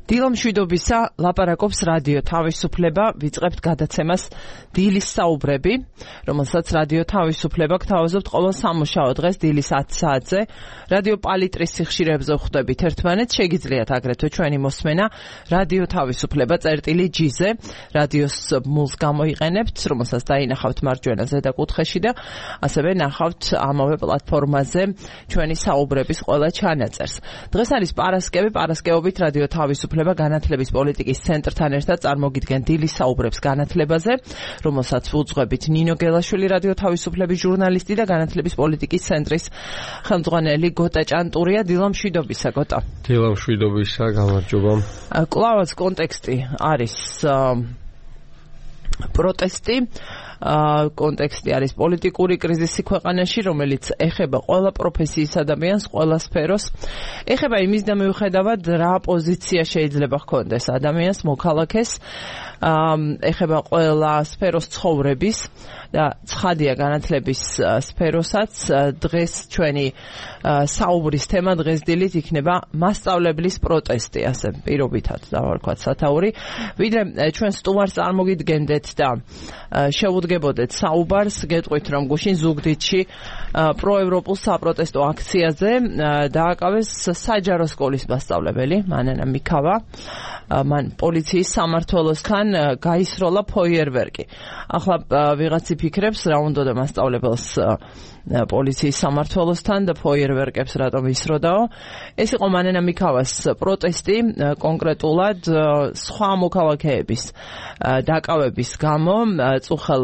დილამშვიდობისა ლაპარაკობს რადიო თავისუფლება, ვიწყებთ გადაცემას დილის საუბრები, რომელსაც რადიო თავისუფლება გთავაზობთ ყოველ სამუშაო დღეს დილის 10 საათზე. რადიო პალიტრის სიხშირეებზე ხვდებით ერთმანეთს, შეგიძლიათ აგრეთვე ჩვენი მოსმენა რადიო თავისუფლება წერტილი-G-ზე, რადიოს მულს გამოიყენებთ, რომელსაც დაინახავთ მარჯვენა ზედა კუთხეში და ასევე ნახავთ ამავე პლატფორმაზე ჩვენი საუბრების ყველა ჩანაწერს. დღეს არის პარასკევი, პარასკევობით რადიო თავისუფლება განათლების პოლიტიკის ცენტრთან ერთად წარმოგიდგენ დილის საუბრებს განათლებაზე, რომელსაც უძღვებით ნინო გელაშვილი, რადიო თავისუფლების ჟურნალისტი და განათლების პოლიტიკის ცენტრის ხელმძღვანელი გოტა ჭანტურია. დილამშვიდობისა, გოტა. დილამშვიდობისა, გამარჯობა. კლავაც კონტექსტი არის პროტესტი. კონტექსტი არის პოლიტიკური კრიზისი ქვეყანაში, რომელიც ეხება ყველა პროფესიის ადამიანს, ყველა სფეროს. ეხება იმის და მიუხედავად რა პოზიცია შეიძლება ჰქონდეს ადამიანს, მოქალაქეს, ეხება ყველა სფეროს ცხოვრების და ცხადია განათლების სფეროსაც. დღეს ჩვენი საუბრის თემა დღეს დილით იქნება მასწავლებლის პროტესტი, ასე პირობითად დავარქვათ სათაური. ვიდრე ჩვენ სტუმარს წარმოგიდგენდეთ და შეუდგებოდეთ საუბარს, გეტყვით რომ გუშინ ზუგდიდში პროევროპულ საპროტესტო აქციაზე დააკავეს საჯარო სკოლის მასწავლებელი მანანა მიქავა. მან პოლიციის სამმართველოსთან გაისროლა ფოიერვერკი. ახლა ვიღაც იფიქრებს რა უნდა და მასწავლებელს პოლიციის სამმართველოსთან და ფოიერვერკებს რატომ ისროდაო. ეს იყო მანანა მიქავას პროტესტი, კონკრეტულად სხვა მოქალაქეების დაკავების გამო. წუხელ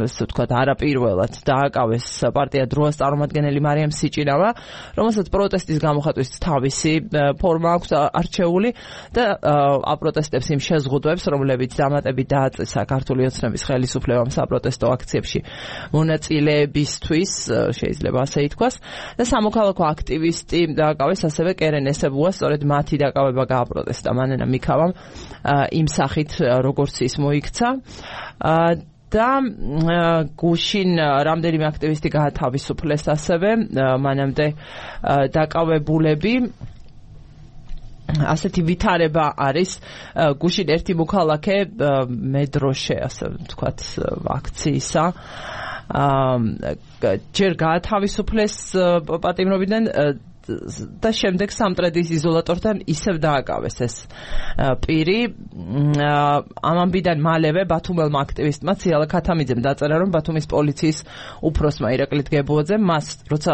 ესე ვთქვათ არაპირველად დააკავეს პარტია დროას წარმომადგენელი მარიამ სიჭინავა, რომელსაც პროტესტის გამოხატვის თავისი ფორმა აქვს არჩეული და აპროტესტებს იმ შეზღუდვებს, რომლებიც დამატებით დააწესა ქართული ოცნების ხელისუფლებამ საპროტესტო აქციებში მონაწილეებისთვის, შეიძლება ასე ითქვას, და სამოქალაქო აქტივისტი დააკავეს ასევე კერენ ესებუა, სწორედ მათი დაკავება გააპროტესტა მანანა მიქავამ იმ სახით, როგორც ის მოიქცა. და გუშინ რამდენიმე აქტივისტი გაათავისუფლეს ასევე, მანამდე დაკავებულები. ასეთი ვითარება არის გუშინ ერთი მოქალაქე მედროშე, ასე ვთქვათ, აქციისა ჯერ გაათავისუფლეს პატიმრობიდან და შემდეგ სამტრედის იზოლატორთან ისევ დააკავეს ეს პირი. ამ ამბიდან მალევე ბათუმელმა აქტივისტმა ციალა ქათამიძემ დაწერა, რომ ბათუმის პოლიციის უფროსმა ირაკლი დგებუაძემ მას, როცა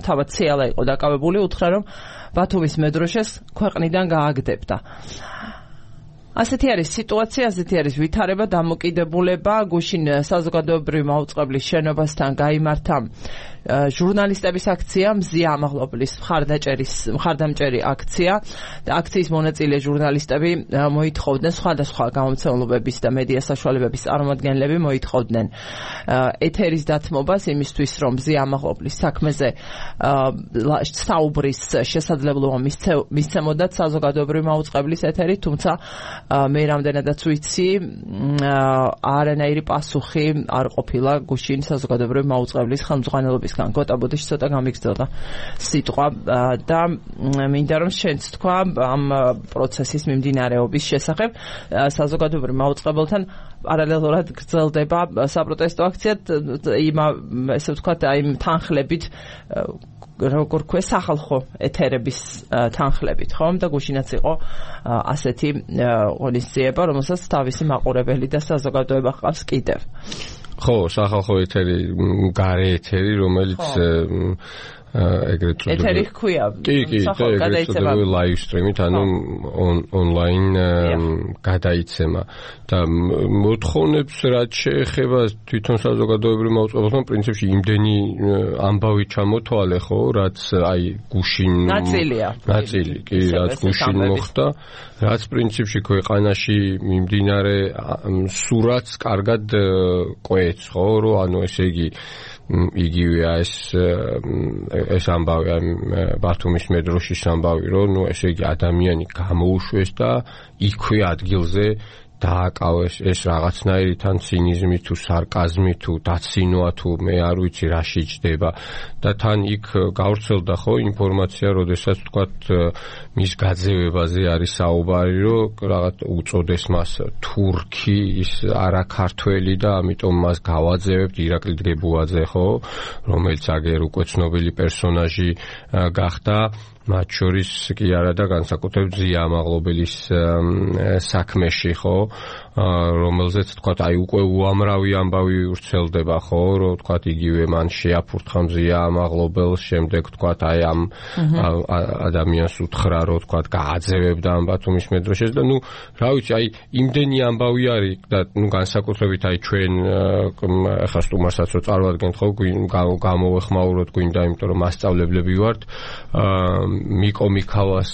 თავად ციალა იყო დაკავებული, უთხრა, რომ ბათუმის მედროშეს ქვეყნიდან გააგდებდა. ასეთი არის სიტუაცია, ასეთი არის ვითარება, დამოკიდებულება. გუშინ საზოგადოებრივი მაუწყებლის შენობასთან გაიმართა ჟურნალისტების აქცია, მზია ამაღლობლის მხარდამჭერი აქცია და აქციის მონაწილე ჟურნალისტები მოითხოვდნენ, სხვადასხვა გამომცემლობების და მედია საშუალებების წარმომადგენლები მოითხოვდნენ ეთერის დათმობას იმისთვის, რომ მზია ამაღლობლის საქმეზე საუბრის შესაძლებლობა მისცემოდათ საზოგადოებრივი მაუწყებლის ეთერი, თუმცა მე რამდენადაც ვიცი, არანაირი პასუხი არ ყოფილა გუშინ საზოგადოებრივი მაუწყებლის ხელმძღვანელობისგან. გოტა ბოდიში ცოტა გამიგზავნა სიტყვა და მინდა რომ შენც თქვა ამ პროცესის მიმდინარეობის შესახებ. საზოგადოებრივ მაუწყებელთან პარალელურად გრძელდება საპროტესტო აქცია, ესე ვთქვათ, იმ თანხლებით, როგორ ქვია, სახალხო ეთერების თანხლებით, ხომ? და გუშინაც იყო ასეთი ღონისძიება, რომელსაც თავისი მაყურებელი და საზოგადოება ჰყავს კიდევ. ხო, სახალხო ეთერი, გარე ეთერი, რომელიც ეგრეთ წოდებული ეთერი ჰქვია. კი, ეგრეთ წოდებული live stream-ით, ანუ online გადაიცემა და მოთხოვნებს რაც შეეხება თვითონ საზოგადოებრივ მაუწყებელს, პრინციპში იმდენი ამბავი ჩამოთვალე, ხო, რაც აი გუშინ ნაწილი, კი, რაც გუშინ მოხდა, რაც პრინციპში ქვეყანაში მიმდინარე სურათს კარგად ყვეც, ხო, რომ ანუ ესე იგი იგივეა ეს ამბავი ბათუმის მეტროშის ამბავი, რომ ნუ ესე იგი ადამიანი გამოუშვეს და იქვე ადგილზე დააკავეს ეს რაღაცნაირი თან ცინიზმი თუ სარკაზმი თუ დაცინოა თუ მე არ ვიცი რა შეჯდება და თან იქ გავრცელდა ხო ინფორმაცია, როდესაც თქვათ მის გაძევებაზე არის საუბარი, რომ რაღაც უწოდეს მას თურქი, ის არა ქართველი და ამიტომ მას გავაძევებთ ირაკლი დგებუაძე ხო, რომელიც აგერ უკვე ცნობილი პერსონაჟი გახდა, მათ შორის კი არა და განსაკუთრებით ზია ამაღლობელის საქმეში ხო, რომელზეც თქვათ აი უკვე უამრავი ამბავი ვრცელდება ხო, რომ თქვათ იგივე მან შეაფურთხა ზია ამაღლობელს, შემდეგ თქვათ აი ამ ადამიანს უთხრა რომ თქვათ გააძევებდა ამ ბათუმის მეტროშეს და ნუ რა ვიცი აი იმდენი ამბავი არის და ნუ განსაკუთრებით აი ჩვენ ახლა სტუმარსაც რო წარვადგენთ ხო გამოვეხმაუროთ გვინდა, იმიტომ რომ მასწავლებლები ვართ მიკო მიქავას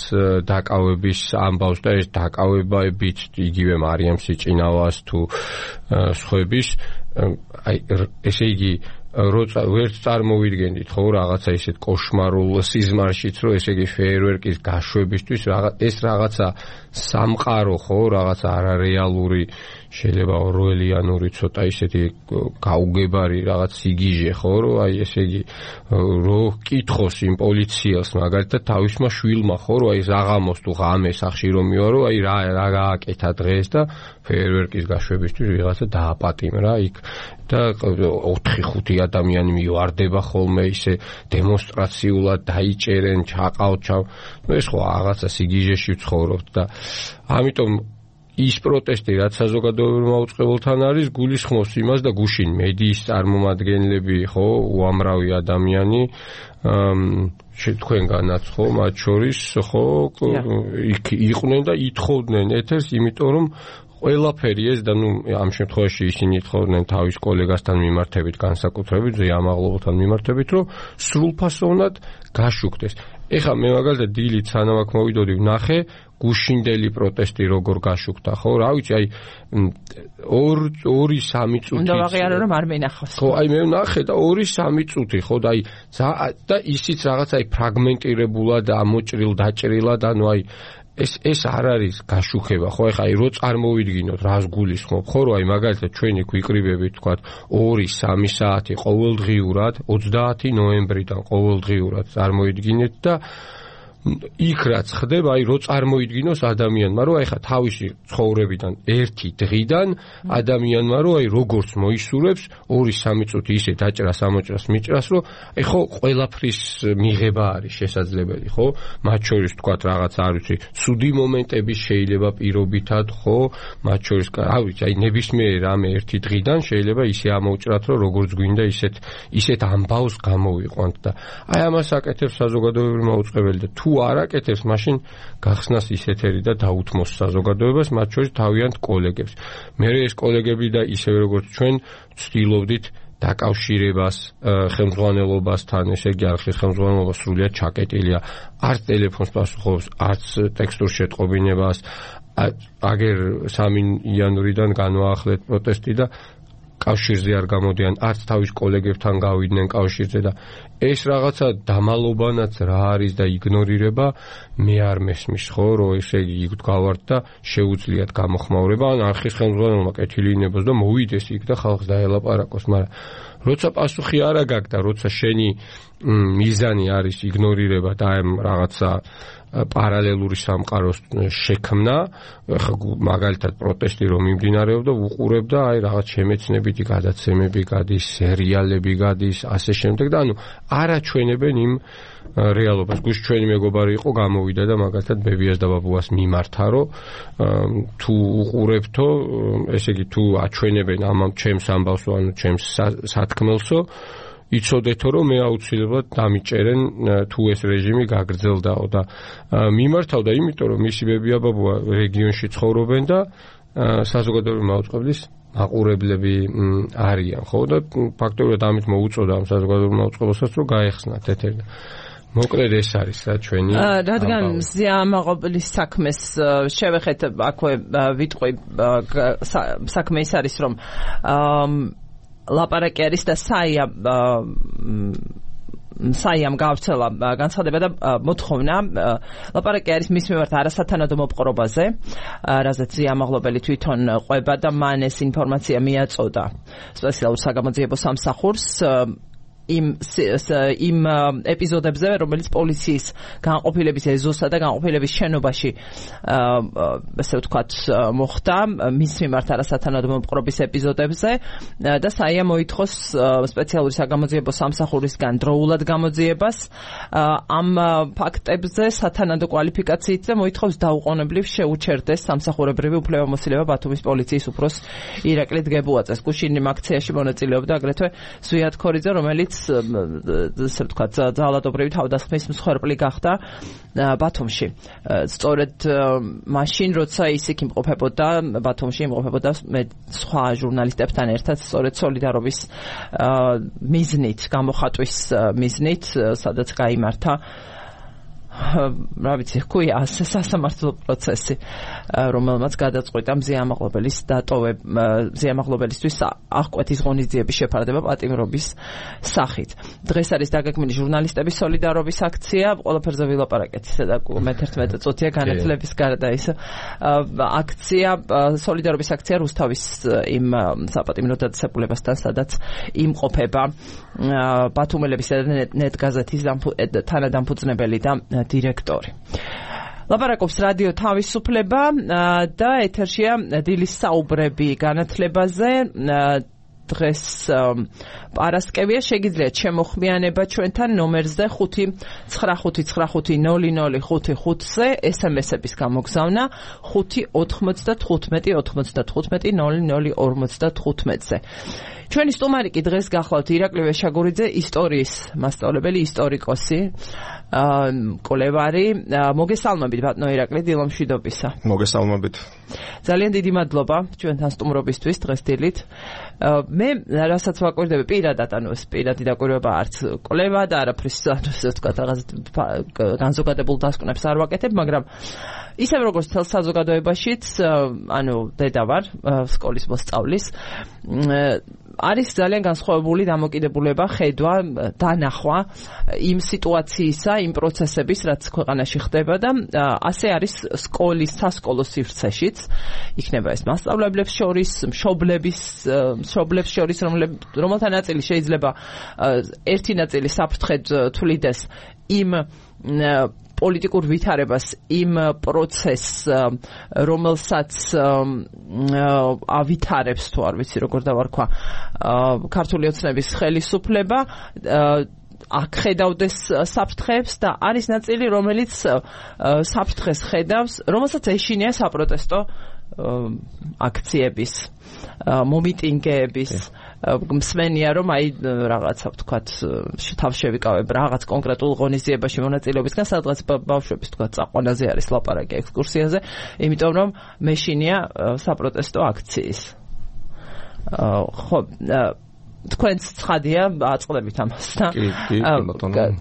დაკავების ამბავს და ეს დაკავებებით იგივე მარიამ სიჭინავას თუ სხვების აი ესე იგი ვერც წარმოვიდგენდით ხო რაღაცა ისეთ კოშმარულ სიზმარშიც რომ ესე იგი ფეიერვერკის გაშვებისთვის ეს რაღაცა სამყარო ხო რაღაცა არარეალური შეიძლება ორველიანური ცოტა ისეთი გაუგებარი რაღაც სიგიჟე ხო რომ აი ესე იგი რო კითხოს იმ პოლიციელს მაგალითად თავისმა შვილმა ხო რომ აი ზაღამოს თუ ღამე სახში რომ მივა რომ აი რა გააკეთა დღეს და ფეიერვერკის გაშვებისთვის ვიღაცა დააპატიმრა იქ და 4-5 ადამიანი მივარდება ხოლმე ისე დემონსტრაციულად დაიჭერენ ჩაყავთ ეს ხო რაღაცა სიგიჟეში ვცხოვრობთ და ამიტომ ის პროტესტი რაც საზოგადოებრივ მაუწყებელთან არის გულისხმობს იმას და გუშინ მედიის წარმომადგენლები ხო უამრავი ადამიანი თქვენგანაც ხო მათ შორის ხო იქ იყვნენ და ითხოვდნენ ეთერს იმიტომ რომ ყველაფერი ეს და ნუ ამ შემთხვევაში ისინი ითხოვდნენ თავის კოლეგასთან მიმართებით განსაკუთრებით ზია ამაღლობელთან მიმართებით რომ სრულფასოვნად გაშუქდეს. ეხლა მე მაგალითად დილით სანამ აქ მოვიდოდი ვნახე გუშინდელი პროტესტი როგორ გაშუქდა ხო რა ვიცი აი 2-3 წუთი უნდა ვაღიარო რომ არ მენახავს ხო აი მე ვნახე და 2-3 წუთი ხო და აი და ისიც რაღაც აი ფრაგმენტირებულად ამოჭრილ დაჭრილად ანუ აი ეს არ არის გაშუქება ხო ეხლა აი რო წარმოვიდგინოთ რას გულისხმობ ხო რომ აი მაგალითად ჩვენი გვიკრიბებით თქვათ 2-3 საათი ყოველდღიურად 30 ნოემბრიდან ყოველდღიურად წარმოვიდგინეთ და იქ რაც ხდება აი რო წარმოიდგინოს ადამიანმა რომ აი ხა თავისი ცხოვრებიდან ერთი დღიდან ადამიანმა რომ აი როგორც მოისურვებს 2-3 წუთი ისე დაჭრას ამოჭრას მიჭრას რომ აი ხო ყველაფრის მიღება არის შესაძლებელი ხო მათ შორის თქვათ რაღაც არ ვიცი ცუდი მომენტები შეიძლება პირობითად ხო მათ შორის არ ვიცი აი ნებისმიერ რამე ერთი დღიდან შეიძლება ისე ამოჭრათ რომ როგორც გვინდა ისეთ ამბავს გამოვიყვანთ და აი ამას აკეთებს საზოგადოებრივი მაუწყებელი და თუ არ აკეთებს, მაშინ გახსნას ისეთერი და დაუთმოს საზოგადოებას, მათ შორის თავიანთ კოლეგებს. მე ეს კოლეგები და ისევე როგორც ჩვენ ვცდილობდით დაკავშირებას ხელმძღვანელობასთან, ესე იგი არხის ხელმძღვანელობა სრულიად ჩაკეტილია, არც ტელეფონს პასუხობს, არც ტექსტურ შეტყობინებას, აგერ 3 იანვრიდან განვაახლეთ პროტესტი და კავშირზე არ გამოდიან, არც თავის კოლეგებთან გავიდნენ კავშირზე და ეს რაღაცა დამალობანაც რა არის და იგნორირება მე არ მესმის ხო რომ ესე იგი იქ გავართ და შეუძლიათ გამოხმაურება ან არხის ხელმძღვანელმა კეთილი ინებოს და მოვიდეს იქ და ხალხს დაელაპარაკოს, მაგრამ როცა პასუხი არ აგაკ და როცა შენი მიზანი არის იგნორირება და ამ რაღაცა პარალელური სამყაროს შექმნა, მაგალითად პროტესტი რომ მიმდინარეობდა, უყურებდა აი რაღაც შემეცნებითი გადაცემები გადის, სერიალები გადის, ასე შემდეგ და ანუ არაჩვენებენ იმ რეალობას. გუშინ ჩვენი მეგობარი იყო, გამოვიდა და მაგალითად ბებიას და ბაბუას მიმართა, რომ თუ უყურებთო, ესე იგი თუ აჩვენებენ ამ ჩემს ამბავსო, ანუ ჩემს სათქმელსო იცოდეთო რომ მე აუცილებლად დამიჭერენ თუ ეს რეჟიმი გაგრძელდაო და მიმართავდა იმიტომ რომ მისი ბებია ბაბუა რეგიონში ცხოვრობენ და საზოგადოებრივი მაუწყებლის მაყურებლები არიან ხო და ფაქტობრივად ამით მოუწოდა ამ საზოგადოებრივ მაუწყებელსაც რომ გაეხსნათ ეთერი მოკლედ ეს არის რა ჩვენი რადგან ზია ამაღლობელის საქმეს შევეხეთ აქვე ვიტყვი საქმე ის არის რომ ლაპარაკი არის და საია საიამ გავრცელა განცხადება და მოთხოვნა ლაპარაკი არის მის მიმართ არასათანადო მოპყრობაზე, რაზეც ზიამაღლობელი თვითონ ყვება და მან ეს ინფორმაცია მიაწოდა სპეციალურ საგამოძიებო სამსახურს იმ ეპიზოდებზე, რომელიც პოლიციის განყოფილების ეზოსა და განყოფილების შენობაში ასე ვთქვათ მოხდა მის მიმართ არასათანადო მოპყრობის ეპიზოდებზე და საია მოითხოვს სპეციალური საგამოძიებო სამსახურისგან დროულად გამოძიებას ამ ფაქტებზე სათანადო კვალიფიკაციით და მოითხოვს დაუყოვნებლივ შეუჩერდეს სამსახურებრივი უფლებამოსილება ბათუმის პოლიციის უფროს ირაკლი დგებუაძეს. გუშინ იმ აქციაში მონაწილეობდა აგრეთვე ზვიად ქორიძე, რომელიც ასე ვთქვათ ძალადობრივი თავდასხმის მსხვერპლი გახდა ბათუმში. სწორედ მაშინ, როცა ის იქ იმყოფებოდა, ბათუმში იმყოფებოდა მე სხვა ჟურნალისტებთან ერთად, სწორედ სოლიდარობის მიზნით, გამოხატვის მიზნით, სადაც გაიმართა რა ვიცი, ხუია ასე სასამართლო პროცესი, რომელმაც გადაწყვიტა მზიამაღლობელისთვის აღკვეთის ღონისძიების შეფარდება პატიმრობის სახით. დღეს არის დაგეგმილი ჟურნალისტების სოლიდარობის აქცია, ყველაფერზე ვილაპარაკეთ ისე და მე-11 წუთია განათლების გარდა ის აქცია, სოლიდარობის აქცია რუსთავის იმ საპატიმრო დაწესებულებასთან, სადაც იმყოფება ბათუმელების და ნეტგაზეთის თანადამფუძნებელი და დირექტორი. ლაპარაკობს რადიო თავისუფლება და ეთერშია დილის საუბრები განათლებაზე. დღეს პარასკევია, შეგიძლიათ შემოხმიანება ჩვენთან ნომერზე 595500555-ზე SMS-ების გამოგზავნა 595-95-00-55-ზე. ჩვენი სტუმარი კი დღეს გახლავთ ირაკლი ვეშაგურიძე, ისტორიის მასწავლებელი, ისტორიკოსი, კოლევარი. მოგესალმებით ბატონო ირაკლი, დილომშვიდობისა. მოგესალმებით. ძალიან დიდი მადლობა ჩვენთან სტუმრობისთვის დღეს დილით. მე რასაც ვაკვირდები პირადად, ანუ ეს პირადი დაკვირვება არც კოლევა და არაფრის ასე ვთქვათ რაღაც განზოგადებულ დასკვნებს არ ვაკეთებ, მაგრამ ისევ როგორც თელ საზოგადოებაშიც, ანუ დედა ვარ, სკოლის მოსწავლის, არის ძალიან განსხვავებული დამოკიდებულება, ხედვა, დანახვა იმ სიტუაციისა, იმ პროცესების, რაც ქვეყანაში ხდება და ასე არის სკოლის სასკოლო სივრცეშიც. იქნება ეს მასწავლებლებს შორის, მშობლებს შორის, რომელთა ნაწილი შეიძლება ერთი ნაწილი საფრთხედ თვლიდეს იმ პოლიტიკურ ვითარებას, იმ პროცესს, რომელსაც ავითარებს, თუ არ ვიცი როგორ დავარქვა, ქართული ოცნების ხელისუფლება, აქ ხედავდეს საფრთხეებს და არის ნაწილი, რომელიც საფრთხეს ხედავს, რომელსაც ეშინია საპროტესტო აქციების, მომიტინგეების. მსმენია, რომ აი რაღაცა ვთქვათ, თავს შევიკავებ რაღაც კონკრეტულ ღონისძიებაში მონაწილეობისგან, სადღაც ბავშვების ვთქვათ, წაყვანაზე არის ლაპარაკი ექსკურსიაზე, იმიტომ რომ მეშინია საპროტესტო აქციის. ხო, თქვენც ცხადია, აწყდებით ამას და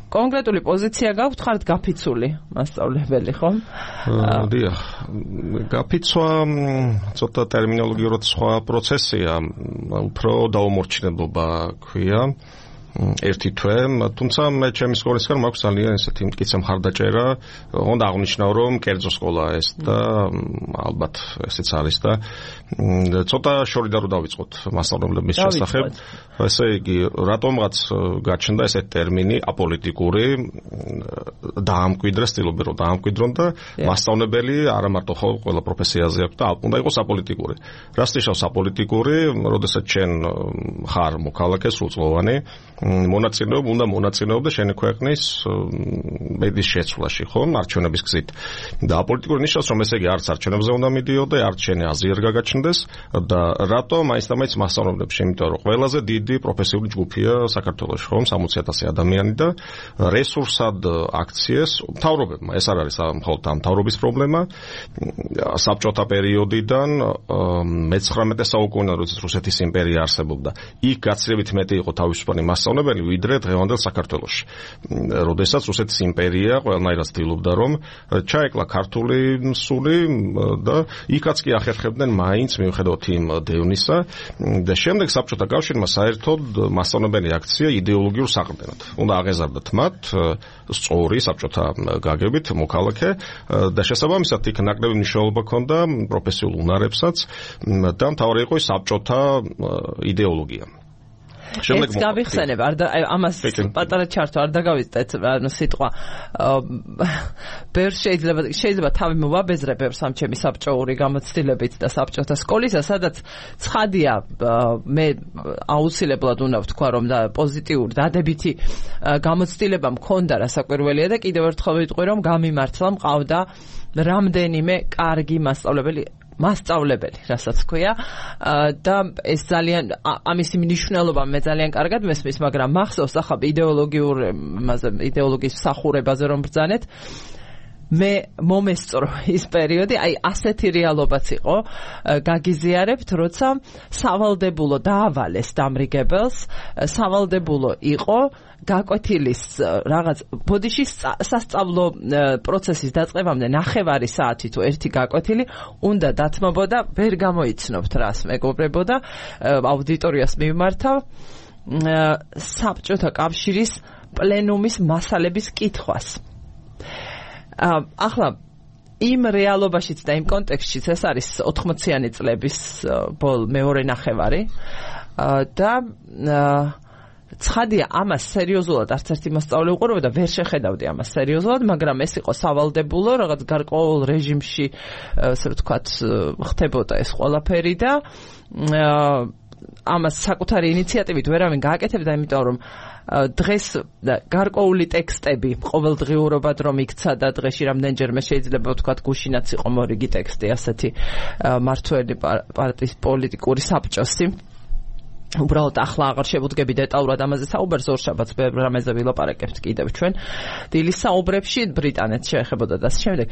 კონკრეტული პოზიცია გაქვთ, ხართ გაფიცული მასწავლებელი, ხო? დიახ, გაფიცვა ცოტა ტერმინოლოგიურად სხვა პროცესია, უფრო დაუმორჩილებლობა ქვია. ერთი თვე, თუმცა მე ჩემი სკოლისგან მაქვს ძალიან ესეთი მტკიცე მხარდაჭერა, უნდა აღნიშნავ, რომ კერძო სკოლა ეს და ალბათ ესეც არის და ცოტა შორიდან რო დავიწყოთ მასწავლებლების შესახებ, ესე იგი, რატომღაც გაჩნდა ესეთი ტერმინი აპოლიტიკური, დაამკვიდრა, სტილობენ რომ დაამკვიდრონ და მასწავლებელი არა მარტო ხო ყველა პროფესიაზე აქვს და უნდა იყოს აპოლიტიკური. რას ნიშნავს აპოლიტიკური, როდესაც შენ ხარ მოქალაქე სრულწლოვანი, უნდა მონაწილეობდეს შენი ქვეყნის ბედის შეცვლაში, ხო, არჩევნების გზით. და აპოლიტიკური ნიშნავს, რომ ესე იგი არც არჩევნებზე უნდა მიდიოდე, არც შენი აზრი არ გაგაჩნდეს და რატო მაინც მასწავლებლებს, იმიტომ რომ ყველაზე დიდი პროფესიული ჯგუფია საქართველოში, ხო, 60,000 ადამიანი და რესურსად აქციეს მთავრობებმა, ეს არ არის მხოლოდ მთავრობის პრობლემა, საბჭოთა პერიოდიდან მე-19 საუკუნიდან, როდესაც რუსეთის იმპერია არსებობდა, იქ გაცილებით მეტი იყო თავისუფალი მასწავლებლები მასწავლებელი ვიდრე დღევანდელ საქართველოში. როდესაც რუსეთის იმპერია ყველანაირად ცდილობდა რომ ჩაეკლა ქართული სული და იქაც კი ახერხებდნენ მაინც მიუხედავად იმ დევნისა და შემდეგ საბჭოთა კავშირმა საერთოდ მასწავლებელი აქცია იდეოლოგიურ საყრდენად. უნდა აღეზარდათ მათ სწორი საბჭოთა გაგებით მოქალაქე და შესაბამისად იქ ნაკლები მნიშვნელობა ჰქონდა პროფესიულ უნარებსაც და მთავარი იყო საბჭოთა იდეოლოგია. ეს გავიხსენებ, ამას პატარა ჩართო არ დაგავიწყეთ, ანუ სიტყვა ბევრ შეიძლება თავი მოვაბეზრებ ამ ჩემი საბჭოური გამოცდილებით და საბჭოთა სკოლისა, სადაც ცხადია მე აუცილებლად უნდა ვთქვა, რომ და პოზიტიური დადებითი გამოცდილება მქონდა რასაკვირველია და კიდევ ერთხელ ვიტყვი, რომ გამიმართლა მყავდა რამდენიმე კარგი მასწავლებელი, რასაც ქვია და ეს ძალიან ამისი მნიშვნელობა მე ძალიან კარგად მესმის, მაგრამ მახსოვს ახლა იდეოლოგიის მსახურებაზე რომ ბრძანეთ, მე მომესწრო ის პერიოდი, აი ასეთი რეალობაც იყო, გაგიზიარებთ, როცა სავალდებულო დაავალეს დამრიგებელს, სავალდებულო იყო გაკვეთილის რაღაც ბოდიში სასწავლო პროცესის დაწყებამდე 9 საათი თუ 1 გაკვეთილი უნდა დათმობოდა, ვერ გამოიცნობთ რას მეგობრებო და აუდიტორიას მიმართავ საბჭოთა კავშირის პლენუმის მასალების კითხვას. ახლა იმ რეალობაშიც და იმ კონტექსტშიც ეს არის 80-იანი წლების მეორე ნახევარი და ცხადია ამას სერიოზულად არც ერთი მასწავლებელი უყურებდა და ვერ შეხედავდი ამას სერიოზულად, მაგრამ ეს იყო სავალდებულო, რაღაც გარკვეულ რეჟიმში, ასე ვთქვათ, ხდებოდა ეს ყველაფერი და ამას საკუთარი ინიციატივით ვერავინ გააკეთებდა, იმიტომ რომ დღეს გარკვეული ტექსტები ყოველდღიურობად რომ იქცა და დღეში რამდენჯერმე შეიძლება ვთქვათ გუშინაც იყო მორიგი ტექსტი ასეთი მართველი პარტიის პოლიტიკური საბჭოსი. უბრალოდ ახლა აღარ შევუდგები დეტალურად ამაზე საუბარს, ორშაბათს რამეზე ვილაპარაკებთ კიდევ ჩვენ დილის საუბრებში ბრიტანეთს შეეხებოდა და ასე შემდეგ.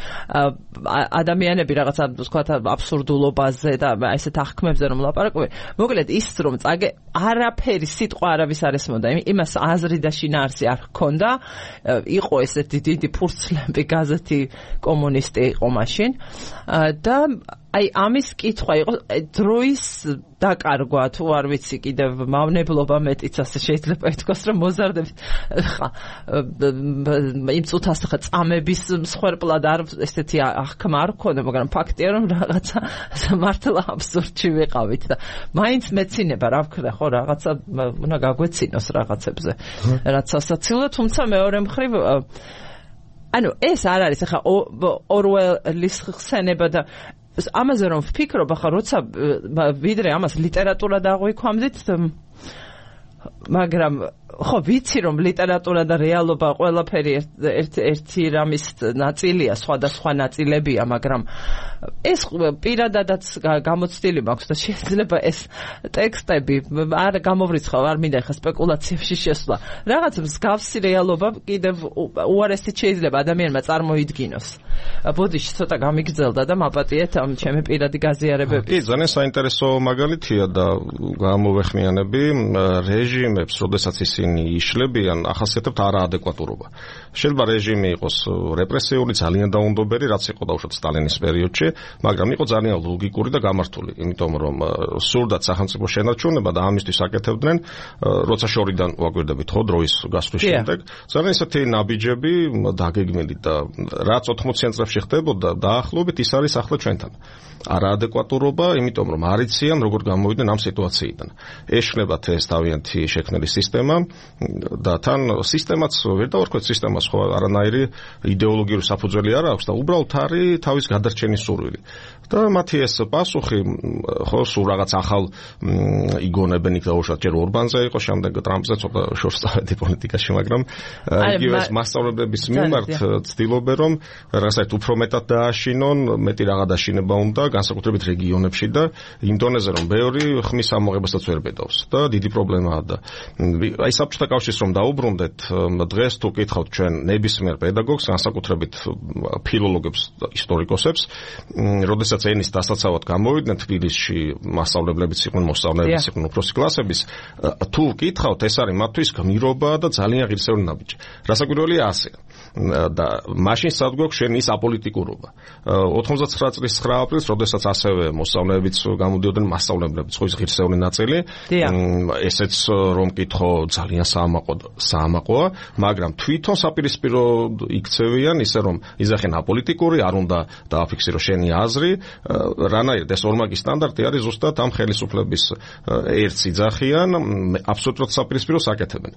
ადამიანები რაღაცა ვთქვათ აბსურდულობაზე და ესეთ აღქმებზე რომ ლაპარაკობენ, მოკლედ ის რომ არაფერი სიტყვა არავის არ ესმოდა, იმას აზრი და შინაარსი არ ჰქონდა, იყო ესეთი დიდი ფურცლები გაზეთი კომუნისტი იყო მაშინ და აი ამის კითხვა იყო დროის დაკარგვა თუ არ ვიცი კიდევ მავნებლობა მეტიც ასე შეიძლება ითქვას რომ მოზარდებით ხა იმ წუთას ხა წამების მსხვერპლად არ ესეთი აღქმა არ ქონდა, მაგრამ ფაქტია რომ რაღაცა მართლა აბსურდში ვიყავით და მაინც მეცინება რა ვქნა ხო რაღაცა უნდა გაგვეცინოს რაღაცებზე რაც სასაცილოა, თუმცა მეორე მხრივ ანუ ეს არ არის ხა ორველის ხსენება და ამაზე რომ ვფიქრობ, ახლა როცა ვიდრე ამას ლიტერატურა დააღვიქვამდით, მაგრამ ხო ვიცი რომ ლიტერატურა და რეალობა ყველაფერი ერთი რამის ნაწილია, სხვადასხვა ნაწილებია, მაგრამ ეს პირადადაც გამოცდილი მაქვს და შეიძლება ეს ტექსტები არ გამოვრიცხავ, არ მინდა ხა სპეკულაციებში შესვლა. რაღაც მსგავსი რეალობა კიდევ უარესით შეიძლება ადამიანმა წარმოიდგინოს. ბოდიში ცოტა გამიგრძელდა და მაპატიეთ ამ ჩემი პირადი გაზიარებები. კი, ძალიან საინტერესო მაგალითია და გამოვეხმიანები რეჟიმებს, როდესაც ისინი იშლებიან, ახასიათებთ არაადეკვატურობა. შეიძლება რეჟიმი იყოს რეპრესიული, ძალიან დაუნდობელი, რაც იყო დაუშვათ სტალინის პერიოდში, მაგრამ იყო ძალიან ლოგიკური და გამართული, იმიტომ რომ სურდათ სახელმწიფო შენარჩუნება და ამისთვის აკეთებდნენ, როცა შორიდან ვაკვირდებით ხო დროის გასვლის შემდეგ, ძალიან ისეთი ნაბიჯები დაგეგმილი და რაც 80-იან წლებში ხდებოდა, დაახლოებით ის არის ახლა ჩვენთან. არაადეკვატურობა, იმიტომ რომ არ იციან როგორ გამოვიდნენ ამ სიტუაციიდან. ეშლებათ ეს თავიანთი შექმნილი სისტემა და თან სისტემაც ვერ დავარქვეთ სისტემას ხო არანაირი იდეოლოგიური საფუძველი არ აქვს და უბრალოდ არის თავის გადარჩენის სურვილი. და მათი ეს პასუხი ხო სულ რაღაც ახალ იგონებენ იქ დაუშვათ ჯერ ორბანზე იყო, შემდეგ ტრამპზე ცოტა შორს წავედი პოლიტიკაში, მაგრამ იგივე მასწავლებლების მიმართ ცდილობენ რომ რაღაცა უფრო მეტად დააშინონ, მეტი რაღა დაშინება უნდა განსაკუთრებით რეგიონებში და იმ დონეზე რომ ბევრი ხმის ამოღებასაც ვერ ბედავს და დიდი პრობლემაა და აი საბჭოთა კავშირს რომ დაუბრუნდეთ, დღეს თუ კითხავთ ჩვენ ნებისმიერ პედაგოგს, განსაკუთრებით ფილოლოგებს, ისტორიკოსებს, როდესაც ენის დასაცავად გამოვიდნენ თბილისში, მასწავლებლებიც იყვნენ, მოსწავლეებიც იყვნენ, უფროსი კლასების, თუ კითხავთ, ეს არის მათთვის გმირობა და ძალიან ღირსეული ნაბიჯი. რასაკვირველია ასე. და მაშინ სად გვაქვს შენ ის აპოლიტიკურობა. 99 წლის 9 აპრილს, როდესაც ასევე მოსწავლეებიც გამოდიოდნენ, მასწავლებლებიც ხო ის ღირსეული ნაწილი, ესეც რომ კითხო ძალიან საამაყოა, მაგრამ თვითონ საპირისპირო იქცევიან ისე რომ იზახენ აპოლიტიკური, არ უნდა დააფიქსირო შენი აზრი, რანაირად ეს ორმაგი სტანდარტი არის ზუსტად ამ ხელისუფლების ერთს იძახიან, აბსოლუტურად საპირისპიროს აკეთებენ.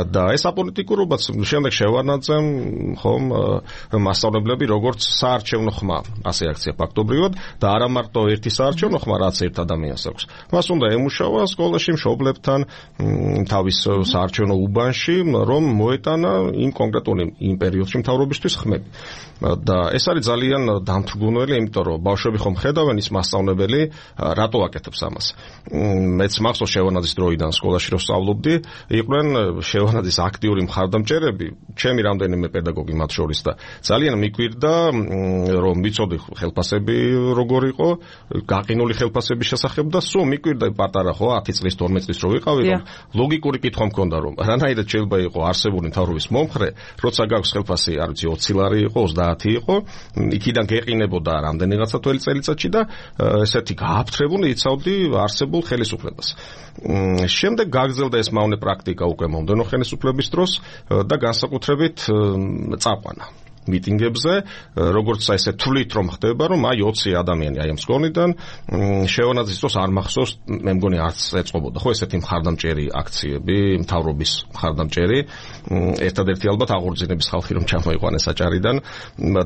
და ეს აპოლიტიკურობაც შემდეგ შევარნაძემ ხომ მასწავლებლები როგორც საარჩევნო ხმა ასე აქცია ფაქტობრივად და არა მარტო ერთი საარჩევნო ხმა რაც ერთ ადამიანს აქვს. მას უნდა ემუშავა სკოლაში მშობლებთან თავის საარჩევნო უბანში რომ მოეტანა იმ კონკრეტული იმ პერიოდში მთავრობისთვის ხმები. და ეს არის ძალიან დამთრგუნველი, იმიტომ რომ ბავშვები ხომ ხედავენ ის მასწავლებელი რატო აკეთებს ამას. მეც მახსოვს შევარნაძის დროიდან სკოლაში რომ სწავლობდი, იყვნენ შევარნაძის აქტიური მხარდამჭერები, ჩემი რამდენიმე პედაგოგი მათ შორის და ძალიან მიკვირდა რომ ვიცოდი ხელფასები როგორ იყო, გაყინული ხელფასების შესახებ და სულ მიკვირდა პატარა ხო 10 წლის 12 წლის რო ვიყავი რომ ლოგიკური კითხვა მქონდა რომ რანაირად შეიძლება იყო არსებული მთავრობის მომხრე, როცა გაქვს ხელფასი, არ ვიცი 20 ლარი იყო, 30 იყო, იქიდან გეყინებოდა რამდენიღაცა თველი წელიწადში და ესეთი გააფთრებული იცავდი არსებულ ხელისუფლებას. შემდეგ გაგრძელდა ეს მავნე პრაქტიკა უკვე მომდენო ხელისუფლების დროს და განსაკუთრებით წაყვანა მიტინგებზე, როგორც ესე თვლით რომ ხდება, რომ აი 20 ადამიანი აი ამ სკოლიდან შევარნაძის დროს არ მახსოვს, მე მგონი არც ეწყობოდა ხო ესეთი მხარდამჭერი აქციები, მთავრობის მხარდამჭერი, ერთადერთი ალბათ აღორძინების ხალხი რომ ჩამოიყვანეს საჭარიდან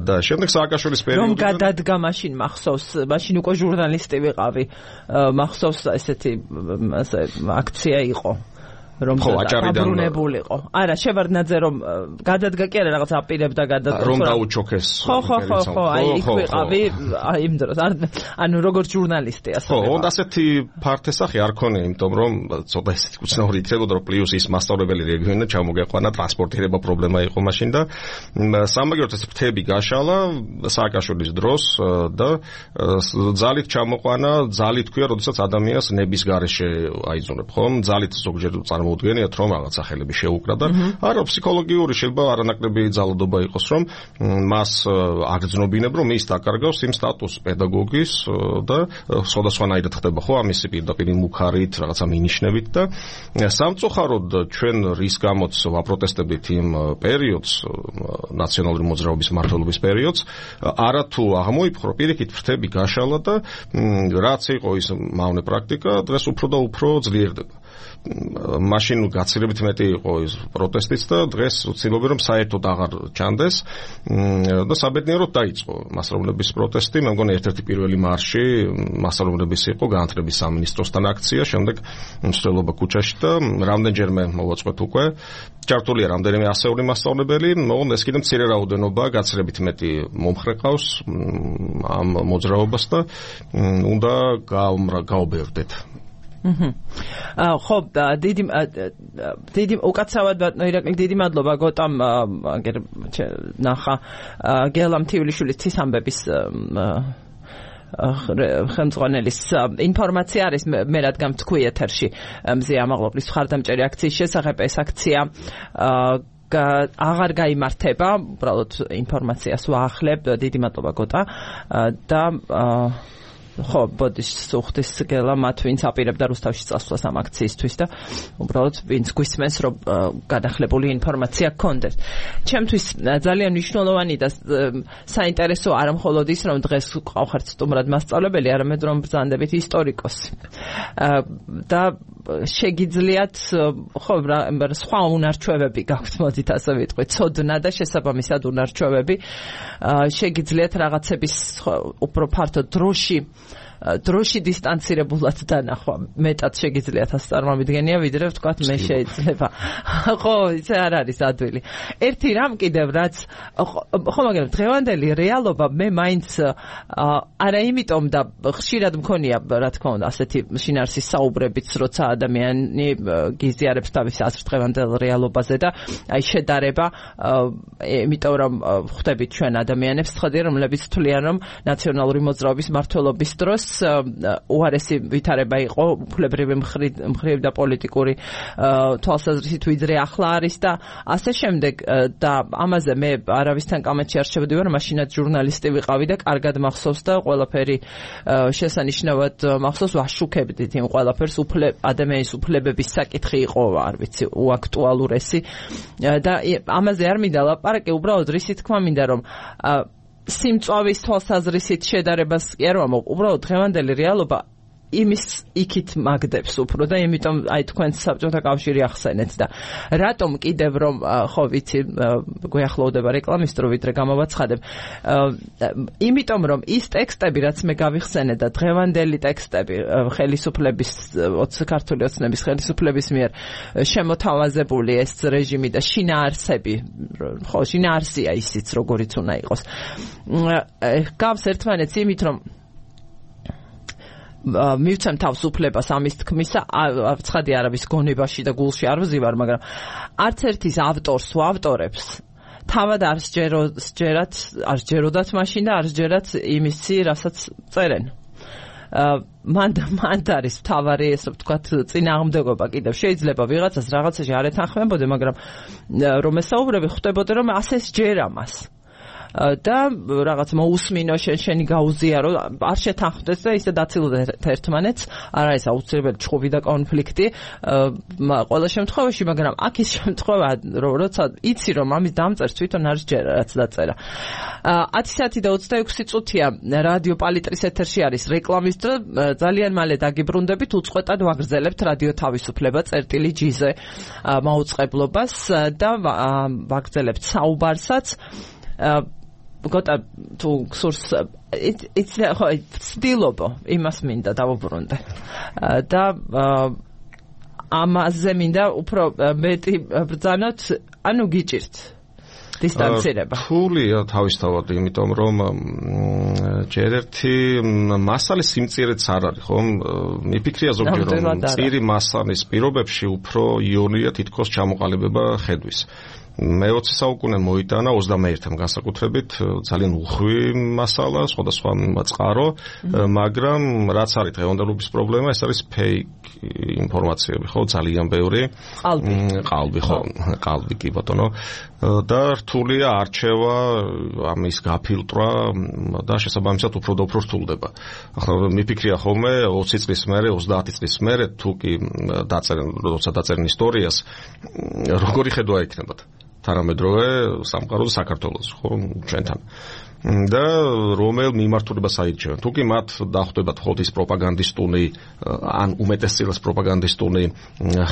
და შემდეგ სააკაშვილის პერიოდში რომ გადადგა მაშინ მახსოვს, მაშინ უკვე ჟურნალისტი ვიყავი, მახსოვს ესეთი აქცია იყო. რომ დაბრუნებულიყო. არა, შევარდნაძე რომ გადადგა კი არა რაღაც აპირებდა გადადგა. რომ დაუჩოქეს. ხო, აი იქ ვიყავი, აი იმ დროს. ანუ როგორც ჟურნალისტი ასე. ხო, უნდა ასეთი ფართესახი არ ქონია, იმიტომ რომ ცოტა ისეთი უცნაური იქნებოდა, რომ პლუს ის მასწავლებელი რეგიონიდან ჩამოგეყვანა, ტრანსპორტირება პრობლემა იყო მაშინ და სამაგიეროდ ეს ფრთები გაშალა სააკაშვილის დროს და ძალით ჩამოყვანა, ძალით ქვია, როდესაც ადამიანს ნების გარეშე აიძულებთ, ხომ? ძალით ზოგჯერ მოუდგენიათ რომ რაღაც სახელები შეუკრა და არა ფსიქოლოგიური შეიძლება არანაკლები ძალადობა იყოს რომ მას აგრძნობინებ რომ ის დაკარგავს იმ სტატუსს პედაგოგის და სხვადასხვანაირად ხდება ხო ამისი პირდაპირ მუქარით რაღაცა მინიშნებით და სამწუხაროდ ჩვენ რის გამოც ვაპროტესტებით იმ პერიოდს ნაციონალური მოძრაობის მმართველობის პერიოდს არათუ აღმოიფხრო პირიქით ფრთები გაშალა და რაც იყო ის მავნე პრაქტიკა დღეს უფრო და უფრო ძლიერდება. მაშინ გაცილებით მეტი იყო ის პროტესტიც და დღეს ვცდილობენ რომ საერთოდ აღარ ჩანდეს და საბედნიეროდ დაიწყო მასწავლებლების პროტესტი. მე მგონი ერთ-ერთი პირველი მარში მასწავლებლების იყო განათლების სამინისტროსთან აქცია, შემდეგ მსვლელობა ქუჩაში და რამდენჯერმე მოვაწყვეთ უკვე. ჩართულია რამდენიმე ასეული მასწავლებელი, მაგრამ ეს კიდევ მცირე რაოდენობა, გაცილებით მეტი მომხრე ყავს ამ მოძრაობას და უნდა გაუბერდეთ. ხო, დიდი უკაცრავად ბატონო ირაკლი, დიდი მადლობა გოტამ ნახა გელამთიულიშვილის თვისამბების ხელმძღვანელის ინფორმაცია არის მე რადგან თქვი ეთერში მზია ამაღლობლის მხარდამჭერი აქციის შესახებ. ეს აქცია აღარ გაიმართება, უბრალოდ ინფორმაციას ვაახლებ. დიდი მადლობა გოტა და ხო, ბოდიშ სუხტის გელა მათ ვინც აპირებდა რუსთავში წასვლას ამ აქციისთვის და უბრალოდ ვინც გვისმენს რომ გადახლებული ინფორმაცია გქონდეს. ჩემთვის ძალიან მნიშვნელოვანი და საინტერესო არა მხოლოდ ის რომ დღეს ყავხართ სტუმრად მასწავლებელი, არამედ რომ ბრძანდებით ისტორიკოსი. და შეგიძლიათ ხო სხვა უნარჩვევები გაქვთ, მოდით ასე ვიტყვი, ცოდნა და შესაბამისად უნარჩვევები. შეგიძლიათ რაღაცების უფრო ფართო დროში დროში დისტანცირებულად დანახვა მეტად შეგიძლიათ ასე წარმომიდგენია ვიდრე ვთქვათ მე შეიძლება ხო იცი არ არის ადვილი ერთი რამ კიდევ რაც ხო მაგრამ დღევანდელი რეალობა მე მაინც არა იმიტომ და ხშირად მქონია რა თქმა უნდა ასეთი შინაარსის საუბრებიც როცა ადამიანი გიზიარებს თავის აზრს დღევანდელ რეალობაზე და აი შედარება იმიტომ რომ ხვდებით ჩვენ ადამიანებს ცხადია რომლებიც თვლიან რომ ნაციონალური მოძრაობის მმართველობის დროს უარესი ვითარება იყო უფლებრივი მხრივ და პოლიტიკური თვალსაზრისით ვიდრე ახლა არის და ასე შემდეგ და ამაზე მე არავისთან კამათში არ შევდივარ მაშინაც ჟურნალისტი ვიყავი და კარგად მახსოვს და ყველაფერი შესანიშნავად მახსოვს ვაშუქებდით იმ ყველაფერს ადამიანის უფლებების საკითხი იყო არ ვიცი უაქტუალურესი და ამაზე არ მინდა ლაპარაკი უბრალოდ რისი თქმა მინდა რომ სიმწვავის თვალსაზრისით შედარებას კი არ ვამბობ უბრალოდ დღევანდელი რეალობა იმის იქით მაგდებს უფრო და იმიტომ აი თქვენ საბჭოთა კავშირი ახსენეთ და რატომ კიდევ რომ ხო ვიცი გვეახლოვდება რეკლამის დრო ვიდრე გამოვაცხადებ იმიტომ რომ ის ტექსტები რაც მე გავიხსენე და დღევანდელი ტექსტები ხელისუფლების ქართული ოცნების ხელისუფლების მიერ შემოთავაზებული ეს რეჟიმი და შინაარსები ხო შინაარსია ისიც როგორიც უნდა იყოს გავს ერთმანეთს იმით რომ მივცემ თავს უფლებას ამის თქმისა ცხადი არავის გონებაში და გულში არ ვზივარ მაგრამ არც ერთის ავტორს თუ ავტორებს თავად არ სჯეროდათ მაშინ და არ სჯერათ იმისი რასაც წერენ მან არის თავარი ესე ვთქვათ წინააღმდეგობა კიდევ შეიძლება ვიღაცას რაღაცაში არ ეთანხმებოდე მაგრამ რომ ესაუბრები ხვდებოდე რომ ასე სჯერა მას და რაღაც მოусმინო შენი გაუზიარო არ შეთანხმდეს და ისე დაცილოთ ერთმანეთს არ არის აუცილებელი ჩხუბი და კონფლიქტი ყველა შემთხვევაში მაგრამ აქ ის შემთხვევა როცა იცი რომ ამის დამწერს თვითონ არის ჯერა რაც დაწერა 10:26 წუთია რადიო პალიტრის ეთერში არის რეკლამის დრო ძალიან მალე დაგიბრუნდებით უწყვეტად ვაგრძელებთ რადიო თავისუფლება წერტილი ჯიზე მაუწყებლობას და ვაგრძელებთ საუბარსაც გოტა თუ სურს it's ხო ცდილობ იმას მინდა დავუბრუნდე და ამაზე მინდა უფრო მეტი ბრძანოთ ანუ გიჭირთ დისტანცირება ფულია თავისთავად იმიტომ რომ ჯერ ერთი მასალის სიმწირეც არ არის ხო მიფიქრია ზოგჯერ რომ წირი მასალის პირობებში უფრო იონია თითქოს ჩამოყალიბება ხედვის მე-20 საუკუნე მოიტანა 21-თან განსაკუთრებით ძალიან უხვი მასალა, სხვადასხვა წყარო, მაგრამ რაც არის დღევანდელობის პრობლემა, ეს არის ფეიქ ინფორმაციები, ხო, ძალიან ბევრი. ყალბი, ხო, ყალბი კი ბატონო. და რთულია არჩევა, ამის გაფილტრვა და შესაბამისად უფრო და უფრო რთულდება. ახლა მიფიქრია ხოლმე 20 წლის მერე, 30 წლის მერე თუ კი როცა დაწერენ ისტორიას, როგორი ხედვა იქნებათ? თანამედროვე სამყაროზე საქართველოს, ხო, ჩვენთან. და რომელ მიმართულებას აირჩევენ. თუ კი მათ დახვდებათ მხოლოდ ის პროპაგანდისტული ან უმეტესწილად პროპაგანდისტული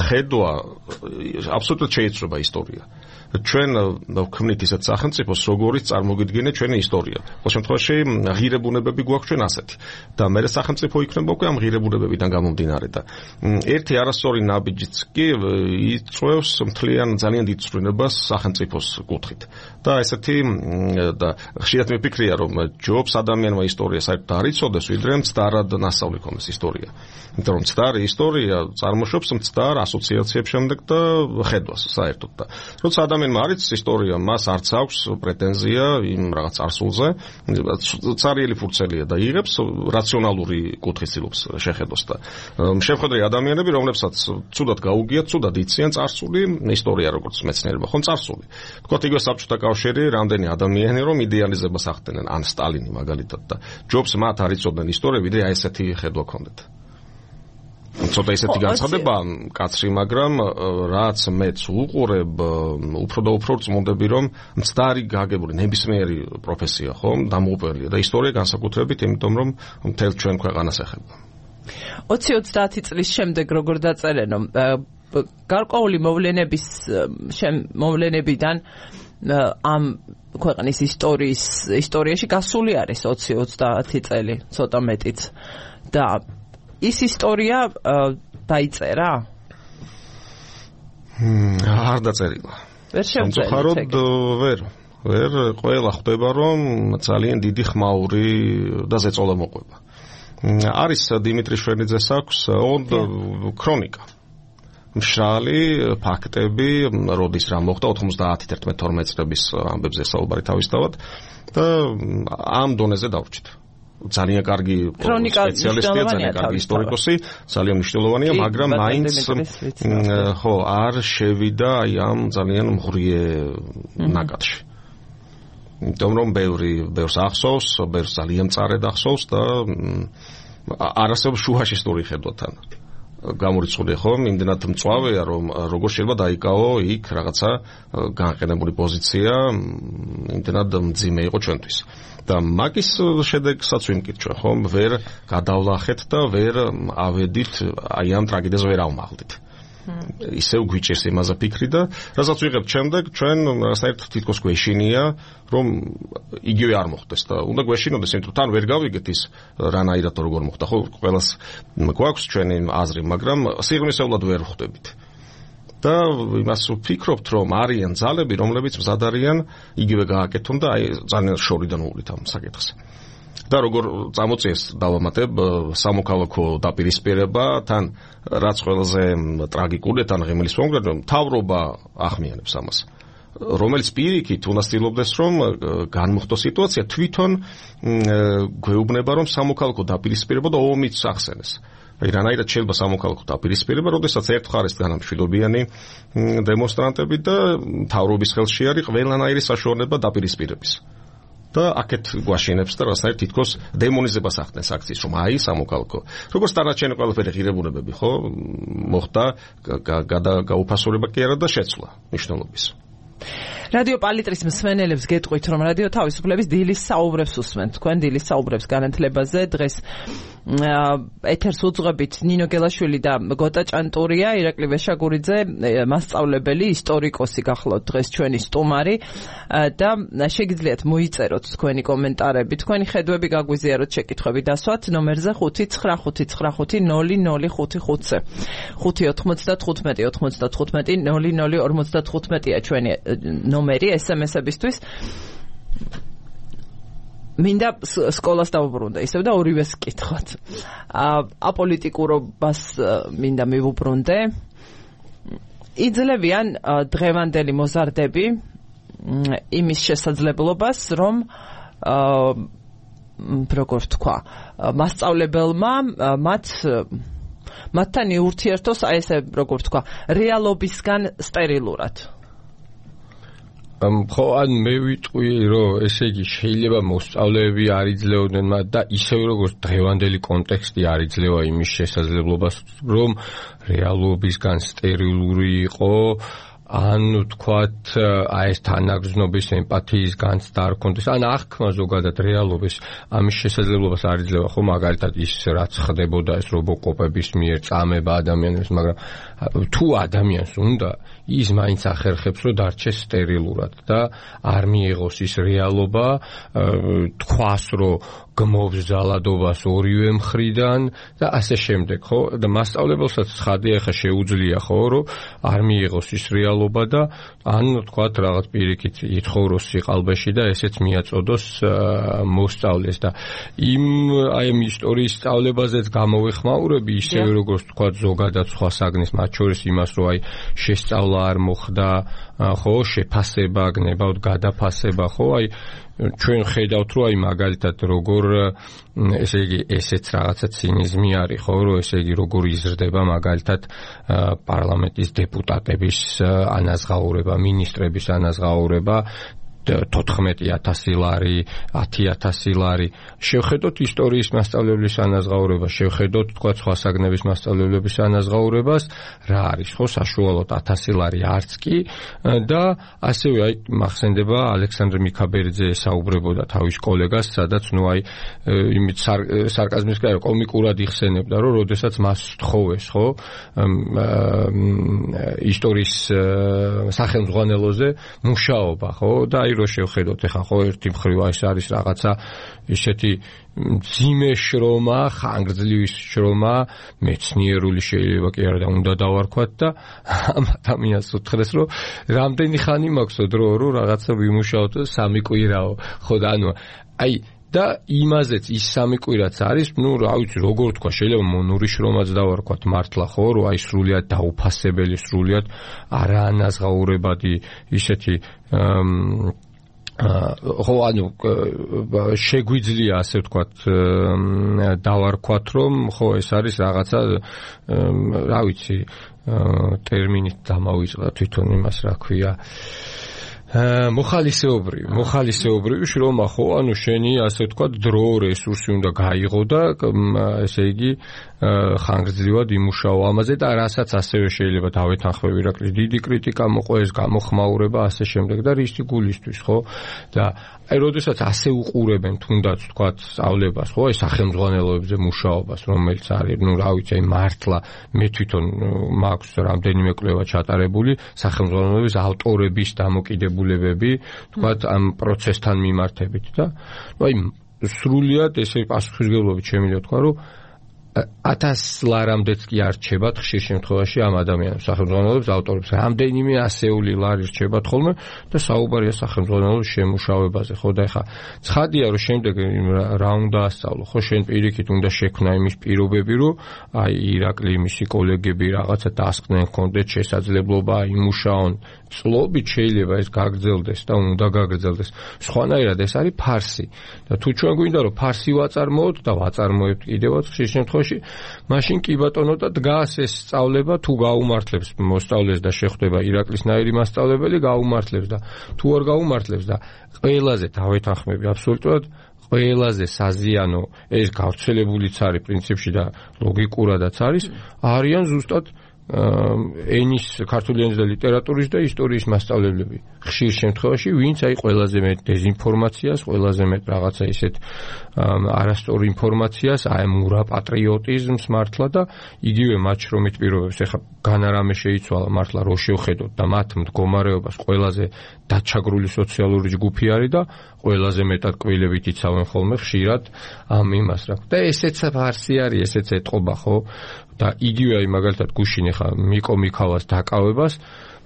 ხედვა, აბსოლუტურად შეიცვლება ისტორია. ჩვენ ვქმნით ისეთ სახელმწიფოს, როგორიც წარმოგიდგენია ჩვენი ისტორია. ყოველ შემთხვევაში ღირებულებები გვაქვს ჩვენ ასეთი. და მე სახელმწიფო იქნება უკვე ამ ღირებულებებიდან გამომდინარე და ერთი არასწორი ნაბიჯიც კი იწვევს მთლიან ძალიან დიდ ცვლილებას სახელმწიფოს კუთხით. და ესეთი და ხშირად მიფიქრია რომ ჯობს ადამიანმა ისტორია საერთოდ არ იცოდეს, ვიდრე მცდარად ნასწავლი ქონდეს ისტორია. იმიტომ რომ მცდარი ისტორია წარმოშობს მცდარ ასოციაციებს შემდეგ და ხედვას საერთოდ და როცა ადამიანმა არ იცის ისტორია, მას არც აქვს პრეტენზია იმ რაღაც წარსულზე, цаრიელი ფურცელია და იღებს რაციონალური კუთხის ცდილობს შეხედოს და შეხედრე ადამიანები, რომლებსაც ცუდად გაუგიათ, ცუდად იციან წარსული ისტორია როგორც მეცნიერება, ხომ წარსული. თქვათ იგივე საბჭოთა კავშირი, რამდენი ადამიანი რომ იდეალიზებას ახდენენ, ან სტალინი მაგალითად და ჯობს მათ არ იცოდნენ ისტორია, ვიდრე აი ესეთი ხედვა ქონდეთ. ცოტა ისეთი განცხადება კაცრი, მაგრამ რაც მეც უყურებ, უფრო და უფრო წმოდები, რომ მცდარი გაგებული ნებისმიერი პროფესია, ხომ, დამოუკველია და ისტორია განსაკუთრებით, იმიტომ რომ მთელ ჩვენ ქვეყანას ეხება. 20-30 წლის შემდეგ როგორ დაწერენო, გარკვეული მოვლენებიდან ამ ქვეყნის ისტორიაში გასული არის 20-30 წელი, ცოტა მეტიც. და ის ისტორია დაიწერა? არ დაწერილა. ვერ სამწუხაროდ ვერ ყველა ხვდება რომ ძალიან დიდი ხმაური და ზეწოლა მოყვება. არის დიმიტრი შვენიძეს აქვს ქრონიკა. მშრალი ფაქტები, როდის რა მოხდა 90-11-12 წლების ამბებზე საუბარი თავისთავად და ამ დონეზე დავრჩით. ძალიან კარგი სპეციალისტია, ძალიან კარგი ისტორიკოსი, ძალიან მნიშვნელოვანია, მაგრამ მაინც არ შევიდა აი ამ ძალიან მღრიე ნაკადში. იმიტომ რომ ბევრს ახსოვს, ბევრს ძალიან წარედ ახსოვს და არასდროს შუაში ისტორია ხედვათან. გამორიცხულია ხო, იმდენად მწვავეა რომ როგორ შეიძლება დაიკავო იქ რაღაცა განყენებული პოზიცია, იმდენად მძიმე იყო ჩვენთვის. და მაგის შედეგსაც ვიმკითხე ხომ, ვერ გადავლახეთ და ვერ ავედით აი ამ ტრაგედიაზე ვერ ავმაღლდით. ისევ გვიჭერს იმაზე ფიქრი და რასაც ვიღებთ შემდეგ ჩვენ რაღაცნაირად თითქოს გვეშინია რომ იგივე არ მოხდეს და უნდა გვეშინოდეს, იმიტომ თან ვერ გავიგეთ ის რანაირად როგორ მოხდა. ხო, ყველას გვაქვს ჩვენი აზრი, მაგრამ სიღრმისეულად ვერ ხვდებით. და იმას ვფიქრობთ რომ არიან ძალები, რომლებიც მზად არიან იგივე გააკეთონ და აი ძალიან შორიდან უვლით ამ საკითხს. და როგორ წამოწიეს დავამატებ სამოქალაქო დაპირისპირება, თან რაც ყველაზე ტრაგიკულია, თან ღიმილის მომგრე, მთავრობა ახმიანებს ამას. რომელიც პირიქით უნდა ცდილობდეს რომ განმოხტოს სიტუაცია, თვითონ გვეუბნება რომ სამოქალაქო დაპირისპირება და ომიც ახსენეს. აი რანაირად შეიძლება სამოქალაქო დაპირისპირება, როდესაც ერთ მხარეს დგანან მშვიდობიანი დემონსტრანტები და მთავრობის ხელში არის ყველანაირი საშუალება დაპირისპირების. და აქეთ გვაშინებს და რაღაცნაირად თითქოს დემონიზებას ახდენს აქციის, რომ აი სამოქალაქო. როგორც დანარჩენი ყველაფერი ღირებულებები, ხო, მოხდა გაუფასურება კი არა და შეცვლა მნიშვნელობის. რადიო პალიტრის მსმენელებს გეტყვით, რომ რადიო თავისუფლების დილის საუბრებს უსმენთ. თქვენ დილის საუბრებს განათლებაზე დღეს ეთერს უძღვებით ნინო გელაშვილი და გოტა ჭანტურია, ირაკლი ვეშაგურიძე, მასწავლებელი, ისტორიკოსი გახლავთ დღეს ჩვენი სტუმარი და შეგიძლიათ მოიწეროთ თქვენი კომენტარები, თქვენი ხედვები გაგვიზიაროთ, შეკითხვები დასვათ ნომერზე 599500555-ზე. 595-95-0055-0055-ია ჩვენი ნომერი SMS-ებისთვის. მინდა სკოლას დავუბრუნდე, ისევ და ორივეს კითხოთ. აპოლიტიკურობას მინდა მივუბრუნდე. იძლევიან დღევანდელი მოზარდები იმის შესაძლებლობას, რომ როგორ ვთქვა, მასწავლებელმა მათთან იურთიერთოს აი ესე როგორ ვთქვა, რეალობისგან სტერილურად. ხო, ან მე ვიტყვი, რომ ესე იგი შეიძლება მოსწავლეები არ იძლეოდნენ და ისევ როგორც დღევანდელი კონტექსტი არ იძლევა იმის შესაძლებლობას, რომ რეალობისგან სტერილური იყო, ან თქვათ აი ეს თანაგრძნობის ემპათიის განცდა არ ქონდეს, ან აღქმა ზოგადად რეალობის ამის შესაძლებლობას არ იძლევა, ხო, მაგალითად ის რაც ხდებოდა ეს რობოკოპების მიერ წამება ადამიანებს, მაგრამ თუ ადამიანს უნდა ის მაინც ახერხებს რომ დარჩეს სტერილურად და არ მიიღოს ის რეალობა, თქვას რომ გმობს ზალადობას ორივე მხრიდან და ასე შემდეგ, ხო? და მასწავლებელსაც ცხადია, ხა შეუძლია, ხო, რომ არ მიიღოს ის რეალობა და ან თქვათ რაღაც პირიქით ითხოვროს სიყალბეში და ესეც მიაწოდოს მოსწავლეს და აი ამ ისტორიის სწავლებაზეც გამოვეხმაურები, ისევე როგორც თქვათ ზოგადად სხვა საგნის, მათ შორის იმას, რომ აი შესწავლა არ მოხდა, ხო, შეფასება, გნებავთ გადაფასება, ხო, აი ჩვენ ხედავთ, რომ აი მაგალითად როგორ ესე იგი ესეც რაღაცა ცინიზმი არის, ხო, რომ ესე იგი როგორ იზრდება მაგალითად პარლამენტის დეპუტატების ანაზღაურება, მინისტრების ანაზღაურება 14,000 ლარი, 10,000 ლარი. შევხედოთ ისტორიის მასწავლებლის ანაზღაურებას, შევხედოთ თქვა სხვა საგნების მასწავლებლების ანაზღაურებას, რა არის, ხო, საშუალოდ 1000 ლარი არც კი და ასევე აი მახსენდება ალექსანდრე მიქაბერიძე საუბრებოდა თავის კოლეგას, სადაც ნუ აი იმით სარკაზმის კაი კომიკურად იხსენებდა, რომ როდესაც მას თხოვეს, ხო, ისტორიის სახელმძღვანელოზე მუშაობა, ხო, და აი რო შევხედოთ ეხლა ხო ერთი მხრივ ეს არის რაღაცა ისეთი ძიმე შრომა, ხანგრძლივი შრომა, მეცნიერული შეიძლება კი არა და უნდა დავარქვათ და ამ ადამიანს უთხრეს რომ რამდენი ხანი მაქვსო დრო რომ რაღაცა ვიმუშაოთ 3 კვირაო ხო და ანუ აი და იმაზეც ის 3 კვირაც არის, ну, რა ვიცი, როგორ თქვა, შეიძლება მონური შრომაც დავარქვათ მართლა, ხო, რომ აი სრულიად დაუფასებელი, სრულიად არაანაზღაურებადი ისეთი ხო, ანუ შეგვიძლია ასე ვთქვათ დავარქვათ, რომ ხო, ეს არის რაღაცა რა ვიცი, ტერმინით დამავიწყდა თვითონ იმას, რა ქვია მოხალისეობრივი შრომა ხო, ანუ შენი ასე ვთქვათ დრო რესურსი უნდა გაიღო და ესე იგი ხანგრძლივად იმუშაო ამაზე და რასაც ასევე შეიძლება დავეთანხმებ ირაკლი დიდი კრიტიკა მოყვეს, გამოხმაურება ასე შემდეგ და რისი გულისთვის ხო და აი როდესაც ასე უყურებენ თუნდაც ვთქვათ სწავლებას ხო, აი სახელმძღვანელოებზე მუშაობას რომელიც არის, ну რა ვიცი, აი მართლა მე თვითონ მაქვს რამდენიმე კვლევა ჩატარებული სახელმძღვანელოების ავტორების დამოკიდებულებები ვთქვათ ამ პროცესთან მიმართებით და აი სრულიად ესე პასუხისმგებლობით შემიძლია თქვა რომ 1000 ლარამდეც კი არ რჩებათ ხშირ შემთხვევაში ამ ადამიანებს სახელმძღვანელოებს ავტორებს რამდენიმე ასეული ლარი რჩებათ ხოლმე და საუბარია სახელმძღვანელოების შემუშავებაზე ხო და ეხა ცხადია რომ შემდეგ რა უნდა ასწავლო ხო შენ პირიქით უნდა შექმნა იმის პირობები რომ აი ირაკლი მისი კოლეგები რაღაცა დასკნენ კონდეთ შესაძლებლობა იმუშაონ წლობით შეიძლება ეს გაგრძელდეს და უნდა გაგრძელდეს სხვანაირად ეს არის ფარსი და თუ ჩვენ გვინდა რომ ფარსი ვაწარმოოთ და ვაწარმოებთ კიდევაც ხშირ შემთხვევაში მაშინ კი ბატონო და დგას ეს სწავლება თუ გაუმართლებს მოსწავლეს და შეხვდება ირაკლისნაირი მასწავლებელი გაუმართლებს და თუ არ გაუმართლებს და ყველაზე დავეთანხმები აბსოლუტურად ყველაზე საზიანო ეს გავრცელებულიც არის პრინციპში და ლოგიკურადაც არის არიან ზუსტად ენის ქართული ენის და ლიტერატურის და ისტორიის მასწავლებლები ხშირ შემთხვევაში ვინც აი ყველაზე მეტ დეზინფორმაციას, ყველაზე მეტ რაღაცა ისეთ არასწორ ინფორმაციას, აი მურა პატრიოტიზმს მართლა და იგივე მათ შრომით პირობებს ეხა განარამე შეიცვალა მართლა რო შევხედოთ და მათ მდგომარეობას ყველაზე დაჩაგრული სოციალური ჯგუფი არის და ყველაზე მეტად კვილებით იცავენ ხოლმე ხშირად ამ იმას რა. და ესეც ფარსი არის, ესეც ეტყობა ხო? და იგივე აი მაგალითად გუშინ ეხა მიკო მიქავას დაკავებას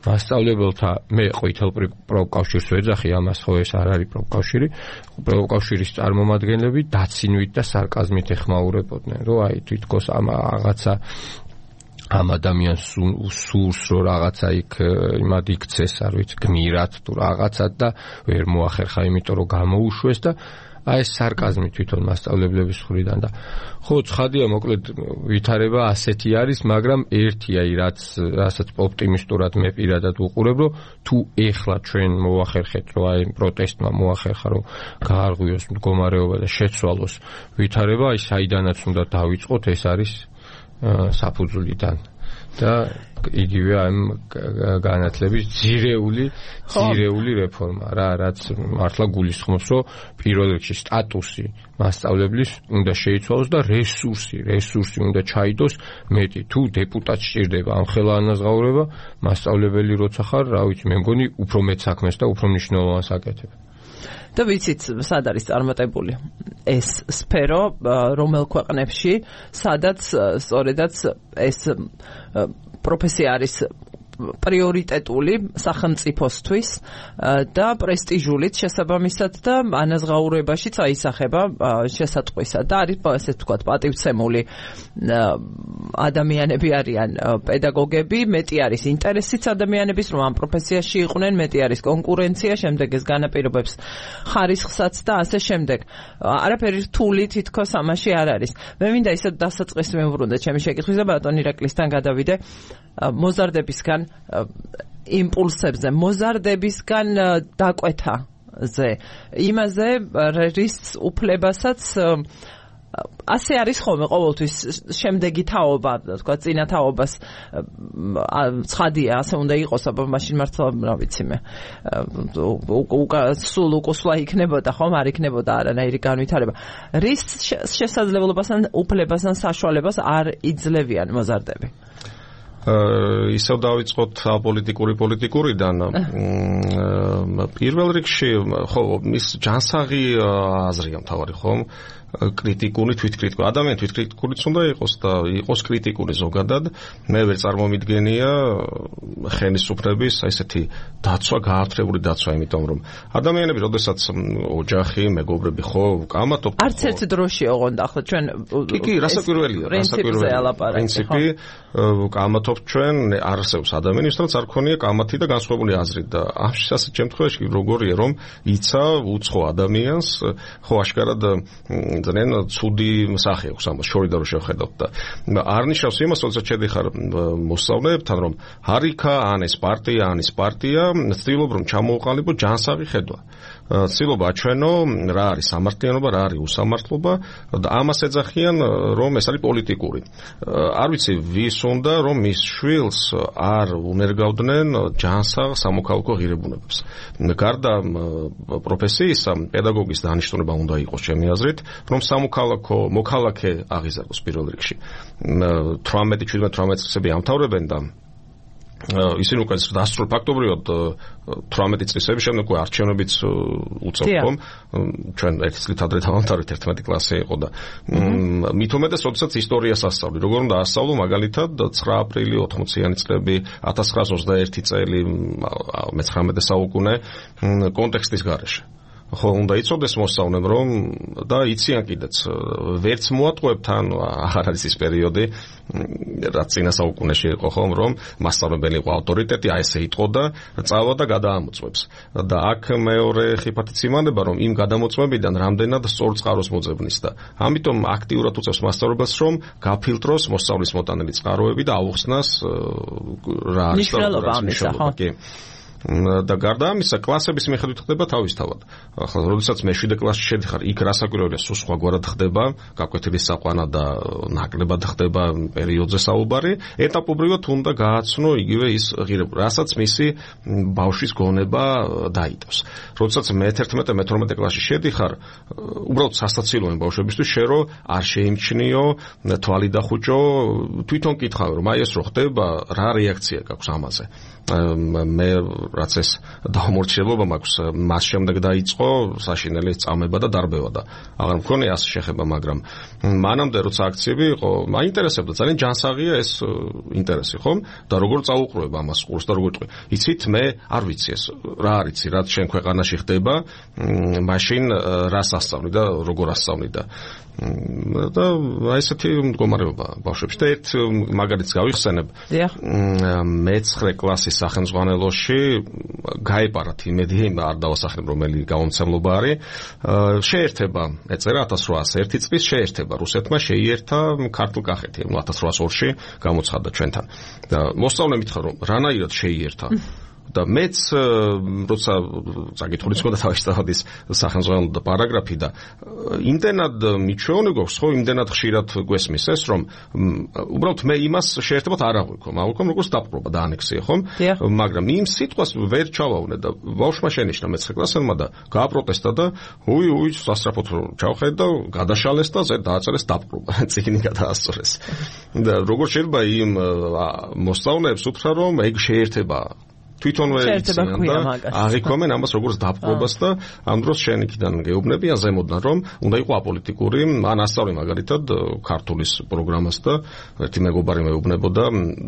მასწავლებელთა მე ყვითელ პროფკავშირს ვეძახი ამას ხო ეს არ არის პროფკავშირი პროფკავშირის წარმომადგენლები დაცინვით და სარკაზმით ეხმაურებოდნენ რომ აი თვითკოს ამ რაღაცა ამ ადამიანს სურს რომ რაღაცა იქ იმად იქცეს არ ვიცი გმირად თუ რაღაცად და ვერ მოახერხა იმიტომ რომ გამოუშვეს და აი ეს სარკაზმი თვითონ მასწავლებლების მხრიდან და ხო ცხადია მოკლედ ვითარება ასეთი არის მაგრამ ერთი აი რასაც ოპტიმისტურად მე პირადად ვუყურებ რომ თუ ეხლა ჩვენ მოახერხეთ რომ აი პროტესტმა მოახერხა რომ გაარღვიოს მდგომარეობა და შეცვალოს ვითარება აი საიდანაც უნდა დავიწყოთ ეს არის საფუძვლიდან და იგივე ამ განათლების ძირეული რეფორმა რა რაც მართლა გულისხმობს რომ პირველ რიგში სტატუსი მასწავლებლის უნდა შეიცვალოს და რესურსი უნდა ჩაიდოს მეტი თუ დეპუტატს სჭირდება ამ ხელა ანაზღაურება მასწავლებელი როცა ხარ რა ვიცი მე მგონი უფრო მეტ საქმეს და უფრო მნიშვნელოვანს აკეთებ და ვიცით სად არის წარმატებული ეს სფერო რომელ ქვეყნებში სადაც სწორედაც ეს პროფესია არის პრიორიტეტული სახელმწიფოსთვის და პრესტიჟულიც შესაბამისად და ანაზღაურებაშიც აისახება შესატყვისად და არის ესე ვთქვათ პატივცემული ადამიანები არიან პედაგოგები მეტი არის ინტერესიც ადამიანების რომ ამ პროფესიაში იყვნენ მეტი არის კონკურენცია შემდეგ ეს განაპირობებს ხარისხსაც და ასე შემდეგ არაფერი რთული თითქოს ამაში არ არის მე მინდა ისე დასაწყისი მივუბრუნდე ჩემი შეკითხვის და ბატონ ირაკლისთან გადავიდე მოზარდებისგან იმპულსებზე მოზარდებისგან დაკვეთაზე იმაზე რის უფლებასაც ასე არის ხოლმე ყოველთვის შემდეგი თაობა თქვა წინა თაობას ცხადია ასე უნდა იყოს აბა მაშინ მართლა რა ვიცი მე სულ უკუსლა იქნებოდა ხომ არ იქნებოდა არანაირი განვითარება რის შესაძლებლობასთან უფლებასთან საშუალებას არ იძლევიან მოზარდები ისევ დავიწყოთ პოლიტიკურიდან. პირველ რიგში ხო მის ჯანსაღი აზრია მთავარი ხომ? კრიტიკული თვითკრიტიკული ადამიანი თვითკრიტიკულიც უნდა იყოს და იყოს კრიტიკული ზოგადად მე ვერ წარმომიდგენია ხელისუფლების ესეთი დაცვა გაართრებული დაცვა იმიტომ რომ ადამიანები როდესაც ოჯახი მეგობრები ხო კამათობ არც ერთ დროში ოღონდ ახლა ჩვენ კი რასაკვირველია პრინციპი კამათობ ჩვენ არსებს ადამიანის რაც არ ქონია კამათი და განსხვავებული აზრი და ამ შემთხვევაში როგორია რომ იცა უცხო ადამიანს ხო აშკარად ძალიან ცუდი სახე აქვს ამას შორიდან რომ შევხედავთ და არ ნიშნავს იმას როცა შედიხარ მოსწავლეებთან რომ ჰარიქა ან ეს პარტია ცდილობ რომ ჩამოუყალიბო ჯანსაღი ხედვა ცდილობა აჩვენო რა არის სამართლიანობა რა არის უსამართლობა და ამას ეძახიან რომ ეს არის პოლიტიკური არ ვიცი ვის უნდა რომ მის შვილს არ უნერგავდნენ ჯანსაღ სამოქალაქო ღირებულებებს გარდა პროფესიისა პედაგოგის დანიშნულება უნდა იყოს ჩემი აზრით რომ მოქალაქე აღიზარდოს პირველ რიგში 18-17 წლები ამთავრებენ და ისინი უკვე დასრულებენ ფაქტობრივად 18 წლების შემდეგ უკვე არჩევნებიც უწევთ ხომ ჩვენ ერთი წლით ადრე დავამთავრეთ 11 კლასი იყო და მით უმეტეს როდესაც ისტორიას ასწავლი როგორ უნდა ასწავლო მაგალითად 9 აპრილი 80-იანი წლები 1921 წელი მე-19 საუკუნე კონტექსტის გარეშე ხო უნდა იცოდეს მოსწავლემ რომ და იციან კიდეც ვერც მოატყუებთ ან აღარ არის ის პერიოდი რაც წინა საუკუნეში იყო ხომ რომ მასწავლებელი იყო ავტორიტეტი აი ესე იტყო და წავა და გადაამოწმებს და აქ მეორე ხიფათიც იმანება რომ იმ გადამოწმებიდან რამდენად სწორ წყაროს მოძებნის და ამიტომ აქტიურად უწევს მასწავლებელს რომ გაფილტროს მოსწავლის მოტანილი წყაროები და აუხსნას რა არის მნიშვნელობა ამისა ხო და გარდა ამისა კლასების მიხედვით ხდება თავისთავად. ახლა როდესაც მე-7 კლასში შედიხარ, იქ რასაკვირველია, სულ სხვაგვარად ხდება, გაკვეთილი საყვანა და ნაკლებად ხდება პერიოდზე საუბარი, ეტაპობრივად უნდა გააცნო იგივე ის ღირებულება, რასაც მისი ბავშვის გონება დაიტოვს. როდესაც მე-11 მე-12 კლასში შედიხარ, უბრალოდ სასტაცილოა ბავშვებისთვის შე რო არ შეიმჩნიო, თვალი დახუჭო, თვითონ კითხავ რომ აი ეს რო ხდება, რა რეაქცია გაქვს ამაზე. მე რაც ეს დაუმორჩილება მაქვს მას შემდეგ დაიწყო საშინელი წამება და დარბევა და აღარ მქონია ასე შეხება მაგრამ მანამდე როცა აქციები იყო მაინტერესებდა ძალიან ჯანსაღია ეს ინტერესი ხომ და როგორ წაუყრუებ ამას ყურს და როგორ ტყვი იცით მე არ ვიცი ეს რა არიცი რაც შენ ქვეყანაში ხდება მაშინ რას ასწავლი და როგორ ასწავლი და ესეთი მდგომარეობა ბავშვებში და ერთ მაგალითს გავიხსენებ მე-9 კლასის სახელმძღვანელოში გაეპარათ იმედი არ დავასახელებ რომელი გამომცემლობა არის შეერთება ეწერა 1801 წლის შეერთება რუსეთმა შეიერთა ქართლ-კახეთი 1802-ში გამოცხადდა ჩვენთან და მოსწავლე მითხრა რომ რანაირად შეიერთა და მეც როცა საკითხულიც მქონდა თავისთავად ის სახელმძღვანელო და პარაგრაფი და იმდენად მიჩვეონე გვაქვს ხო იმდენად ხშირად გვესმის ეს რომ უბრალოდ მე იმას შეერთებათ არ აღვიქო მაგალითად როგორც დაპყრობა და ანექსია ხომ მაგრამ იმ სიტყვას ვერ ჩავავნე და ბავშვმა შენიშნა მე-9 კლასელმა და გააპროტესტა და უი სასწრაფოდ ჩავხედა და გადაშალეს და დააწერეს დაპყრობა წიგნი გადაასწორეს და როგორ შეიძლება იმ მოსწავლეებს უთხრა რომ ეგ შეერთება თვითონვე იციან და აღიქვამენ ამას როგორც დაპყრობას და ამ დროს შენ იქიდან გეუბნებიან ზემოდან რომ უნდა იყო აპოლიტიკური ან ასწავლე მაგალითად ქართულის პროგრამას და ერთი მეგობარი მეუბნებოდა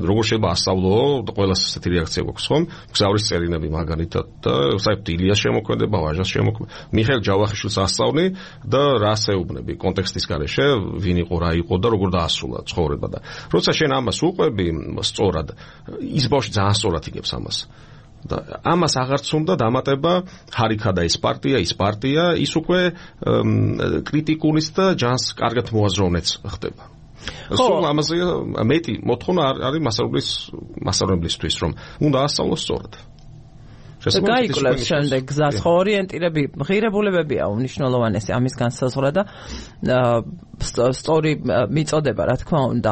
როგორ შეიძლება ასწავლო და ყველას ესეთი რეაქცია გვაქვს ხომ გზავრის წერილები მაგალითად და საერთოდ ილიას შემოქმედება ვაჟას შემოქმედება მიხეილ ჯავახიშვილს ასწავლი და რას ეუბნები კონტექსტის გარეშე ვინ იყო რა იყო და როგორ დაასრულა ცხოვრება და როცა შენ ამას უყვები სწორად ის ბავშვი ძალიან სწორად იგებს ამას და ამას აღარც უნდა დამატება ჰარიქა და ის პარტია ის უკვე კრიტიკულის და ჯანს კარგად მოაზროვნეც ხდება სულ ამაზე მეტი მოთხოვნა არის მასწავლებლისთვის რომ უნდა ასწავლოს სწორად გაიკლებს შემდეგ გზას, ხო ორიენტირები, ღირებულებებია უნიშნულოვანესი ამის განსაზღვრა და სწორი მიწოდება, რა თქმა უნდა.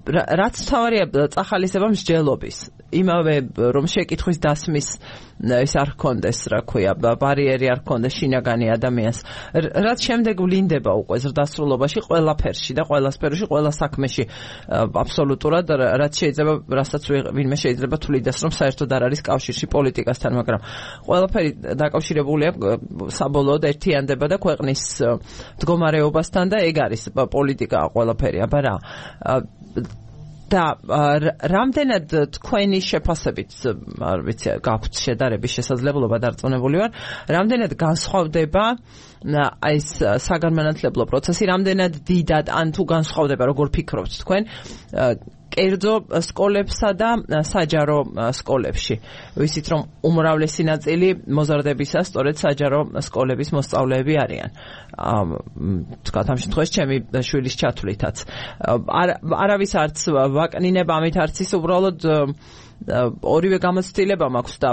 რაც თავარია წახალისება მსჯელობის. იმავე რომ შეკითხვის დასმის ეს არ ჰქონდეს, რა ქვია, ბარიერი არ ჰქონდეს შინაგანი ადამიანს. რაც შემდეგ ვლინდება უკვე ზრდასრულობაში ყველაფერში და ყველა სფეროში, ყველა საქმეში აბსოლუტურად, რაც შეიძლება, რასაც ვინმე შეიძლება თulidas, რომ საერთოდ არ არის კავშირში პოლიტიკასთან, მაგრამ ყველაფერი დაკავშირებულია საბოლოოდ ერთიანდება და ქვეყნის მდგომარეობასთან და ეგ არის პოლიტიკა ყველაფერი, აბა რა. და რამდენად თქვენი შეფასებით, არ ვიცი, გაქვთ შედარების შესაძლებლობა, დარწმუნებული ვარ, რამდენად განსხვავდება ეს საგანმანათლებლო პროცესი, რამდენად დიდად ან თუ განსხვავდება, როგორ ფიქრობთ თქვენ, კერძო სკოლებსა და საჯარო სკოლებში. ვიცით, რომ უმრავლესი ნაწილი მოზარდებისა სწორედ საჯარო სკოლების მოსწავლეები არიან. თქვათ ამ შემთხვევაში ჩემი შვილის ჩათვლითაც. არავის არც ვაკნინებ ამით, არც ის უბრალოდ ორივე გამოცდილება მაქვს და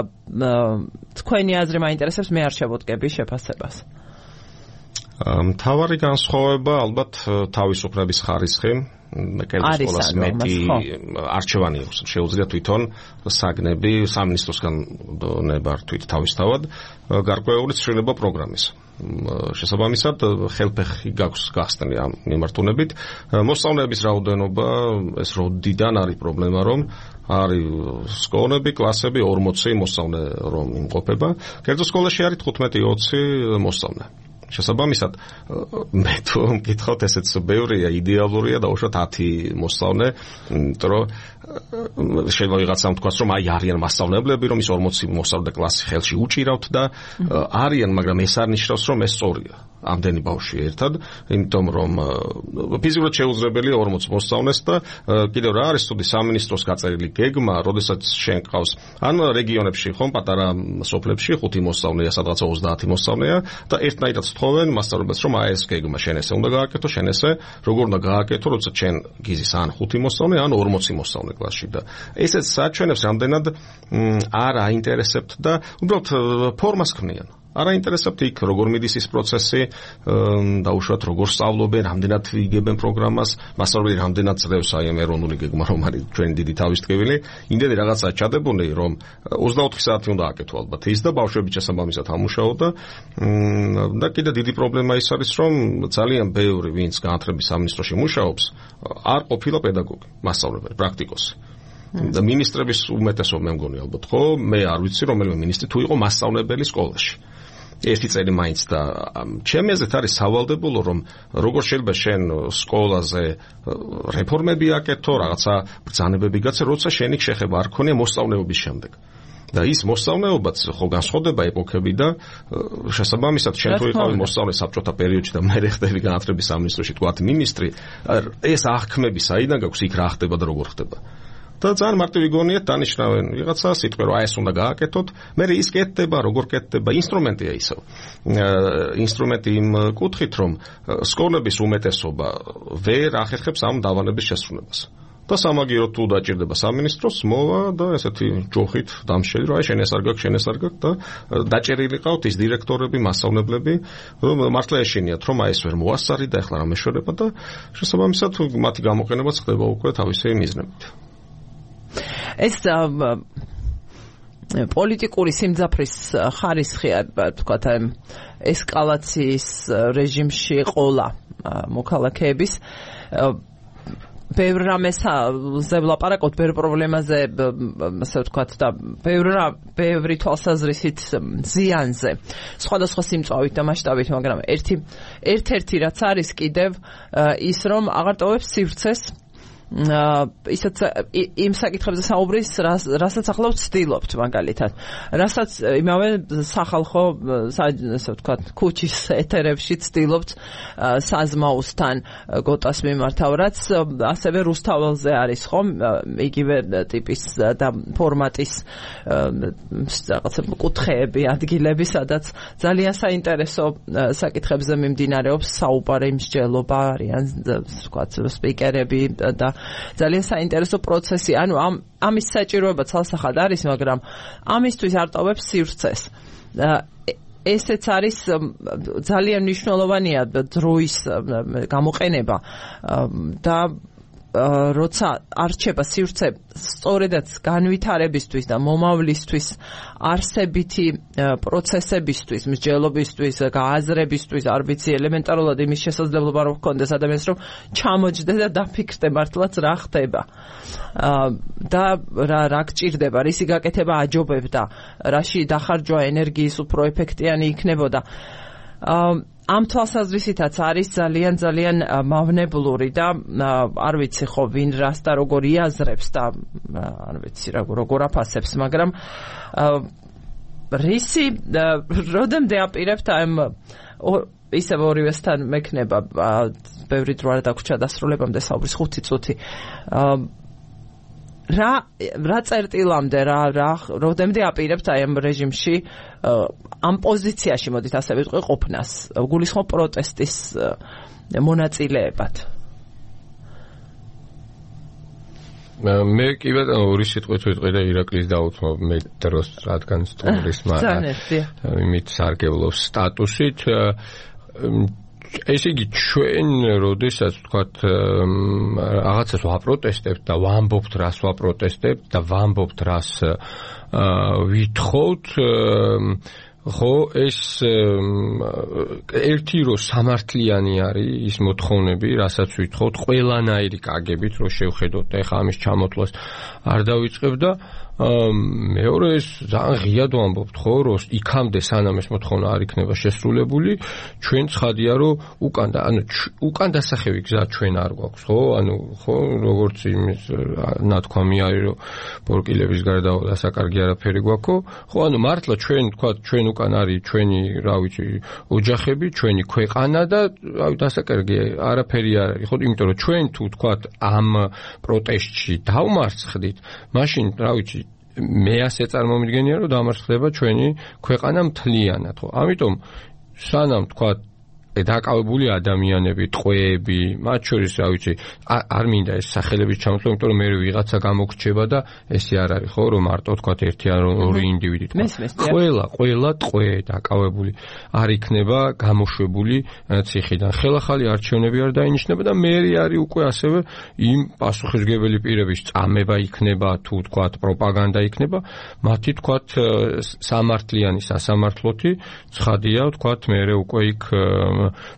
თქვენი აზრი მაინტერესებს, მე არ შევოდგები შეფასებას. მთავარი განსხვავება ალბათ თავისუფლების ხარისხი. კერძო სკოლას მეტი არჩევანი აქვს. შეუძლია თვითონ საგნები სამინისტროსგან ნებართვით თავისთავად გარკვეული ცვლილება პროგრამის. შესაბამისად, ხელფეხი გაქვს გახსნილი ამ მიმართულებით. მოსწავლეების რაოდენობა ეს როდიდან არის პრობლემა, რომ არის სკოლები, კლასები 40 მოსწავლე რომ იმყოფება. კერძო სკოლაში არის 15-20 მოსწავლე. შესაბამისად, მე თუ მკითხავთ, ესეც ბევრია, იდეალურია დაუშვათ 10 მოსწავლე, იმიტომ რომ შეიძლება ვიღაცამ თქვას, რომ აი არიან მასწავლებლები, რომ ის 40 მოსწავლე კლასი ხელში უჭირავთ და არიან, მაგრამ ეს არ ნიშნავს, რომ ეს სწორია. ამდენი ბავშვი ერთად, იმიტომ რომ ფიზიკურად შეუძლებელია 40 მოსწავლეს და კიდევ რა არის თუდი სამინისტროს გაწერილი გეგმა, როდესაც შენ ყავს ან რეგიონებში ხომ პატარა სოფლებში 5 მოსწავლეა, სადღაცა 30 მოსწავლეა და ერთნაირად თხოვენ მასწავლებლებს, რომ აი ეს გეგმა შენ ესე უნდა გააკეთო, შენ ესე როგორ უნდა გააკეთო, როცა შენ გიზის ან 5 მოსწავლე, ან 40 მოსწავლე კლასში და ესეც საჩვენებს რამდენად არ აინტერესებთ და უბრალოდ ფორმას ქმნიან. არ აინტერესებთ იქ როგორ მიდის ის პროცესი, დაუშვათ როგორ სწავლობენ, რამდენად იგებენ პროგრამას, მასწავლებელი რამდენად ძლევს აი ამ ეროვნული გეგმა, რომ არის ჩვენი დიდი თავისტკივილი, იმდენი რაღაცა ჩადებონე, რომ 24 საათი უნდა აკეთო ალბათ ის და ბავშვები შესაბამისად ამუშაო და კიდე დიდი პრობლემა ის არის, რომ ძალიან ბევრი ვინც განათლების სამინისტროში მუშაობს, არ ყოფილა პედაგოგი, მასწავლებელი, პრაქტიკოსი. და მინისტრების უმეტესობა მე მგონი ალბათ, ხო, მე არ ვიცი რომელიმე მინისტრი თუ იყო მასწავლებელი სკოლაში. ერთი წელი მაინც და ჩემი აზრით არის სავალდებულო, რომ როგორ შეიძლება შენ სკოლაზე რეფორმები აკეთო, რაღაცა ბრძანებები გაცე, როცა შენი შეხება არ ქონია მოსწავლეობის შემდეგ. და ის მოსწავლეობაც ხო განსხვავდება ეპოქები და შესაბამისად შენ თუ იყავი მოსწავლე საბჭოთა პერიოდში და მე ხდები განათლების სამინისტროში თქვათ მინისტრი, ეს აღქმები საიდან გაქვს, იქ რა ხდება და როგორ ხდება. და ძალიან მარტივი გონიათ დანიშნავენ ვიღაცა სიტყვე, რომ აი ეს უნდა გააკეთოთ, მე ის კეთდება, როგორ კეთდება, ინსტრუმენტია ისევ. ინსტრუმენტი იმ კუთხით, რომ სკოლების უმეტესობა ვერ ახერხებს ამ დავალების შესრულებას. და სამაგიეროდ თუ დაჭირდება სამინისტროს, მოვა და ესეთი ჯოხით დამშელი, რომ აი შენ ეს არ გაქვს, შენ ეს არ გაქვს და დაჭერილი ყავთ ის დირექტორები, მასწავლებლები, რომ მართლა ეშინიათ, რომ აი ეს ვერ მოასწარი და ეხლა რა მეშველება და შესაბამისად მათი გამოყენებაც ხდება უკვე თავისი მიზნებით. ეს პოლიტიკური სიმძაფრის ხარისხი, თქვათ, ესკალაციის რეჟიმში ყოლა მოქალაქეების ბევრ რამეზე ვლაპარაკობთ, ბევრ პრობლემაზე, ასე ვთქვათ, და ბევრი თვალსაზრისით ზიანზე, სხვადასხვა სიმწვავით და მასშტაბით, მაგრამ ერთ-ერთი რაც არის კიდევ ის, რომ აღარ ტოვებს სივრცეს ისაც იმ საკითხებზე საუბრის, რასაც ახლა ვცდილობთ მაგალითად. რასაც იმავე სახალხო, ასე ვთქვათ, ქუჩის ეთერებში ვცდილობთ საზმაოსთან გოტას მიმართავ, რაც ასევე რუსთაველზე არის, ხომ? იგივე ტიპის და ფორმატის რაღაცა კუთხეები, ადგილები, სადაც ძალიან საინტერესო საკითხებზე მიმდინარეობს საუბარი, მსჯელობა, არიან, ვთქვათ, სპიკერები და ძალიან საინტერესო პროცესი. ანუ ამის საჭიროება ცალსახად არის, მაგრამ ამისთვის არ ტოვებს სივრცეს. ესეც არის ძალიან მნიშვნელოვანია დროის გამოყენება და როცა არჩება სივრცე სწორედაც განვითარებისთვის და მომავლისთვის არსებითი პროცესებისთვის, მსჯელობისთვის, გააზრებისთვის, არ ვიცი, ელემენტარულად იმის შესაძლებლობა რომ ჰქონდეს ადამიანს რომ ჩამოჯდე და დაფიქრდე მართლაც რა ხდება. და რა გჭირდება, რისი გაკეთება აჯობებდა, რაში დახარჯვა ენერგიის უფრო ეფექტიანი იქნებოდა. ამ თვალსაზრისითაც არის ძალიან მავნებლური და არ ვიცი ხო ვინ რას და როგორ იაზრებს და არ ვიცი როგორ აფასებს, მაგრამ რისი როდემდე აპირებთ ამ ისევ ორივესთან მექნება ბევრი დრო არ დაგვრჩა დასრულებამდე საუბრის 5 წუთი რა წერტილამდე როდემდე აპირებთ აი ამ რეჟიმში ამ პოზიციაში მოდით ასე ვიტყვი ყოფნას გულისხმობ პროტესტის მონაწილეებად მე კი ბატონო ორი სიტყვით ვიტყვი და ირაკლის დაუთმობ მე დროს რადგან სტუმრის იმით სარგებლობს სტატუსით ესე იგი ჩვენ როდესაც ვთქვათ რაღაცას ვაპროტესტებთ და ვამბობთ რას ვაპროტესტებთ და ვამბობთ რას ვითხოვთ ხო ეს ერთი რო სამართლიანი არის ის მოთხოვნები რასაც ვითხოვთ ყველანაირი კაგებით რო შევხედოთ და ეხა ამის ჩამოთვლას არ დავიწყებ და მეორე ეს ძალიან ღიად ვამბობთ ხო რომ იქამდე სანამ ეს მოთხოვნა არ იქნება შესრულებული ჩვენ ცხადია რომ უკან დასახევი გზა ჩვენ არ გვაქვს ხო ანუ ხო როგორც იმის ნათქვამი არის რომ ბორკილების გარდა დასაკარგი არაფერი გვაქვს ხო ანუ მართლა ჩვენ თქვა ჩვენ უკან არის ჩვენი რა ვიცი ოჯახები ჩვენი ქვეყანა და რავი დასაკარგი არაფერი არ არის ხო იმიტომ რომ ჩვენ თუ თქვა ამ პროტესტში დავმარცხდით მაშინ რა ვიცი მე ასე წარმომიდგენია რომ დამარცხდება ჩვენი ქვეყანა მთლიანად ხო ამიტომ სანამ თქვა დაკავებული ადამიანები, ტყვეები, მათ შორის რა ვიცი, არ მინდა ეს სახელების ჩამოთვლა, იმიტომ რომ მე ვიღაცა გამოგრჩება და ესე არ არის, ხო, რომ მარტო თქვა ერთი ან ორი ინდივიდი თქვა. ყველა ტყვე დაკავებული არ იქნება გამოშვებული ციხიდან. ხელახალი არჩევნები არ დაინიშნება და მე არის უკვე ასევე იმ პასუხისმგებელი პირების წამება იქნება, თუ თქვა პროპაგანდა იქნება, მათი თქვა სამართლიანი სასამართლოთი ცხადია, თქვა მე უკვე იქ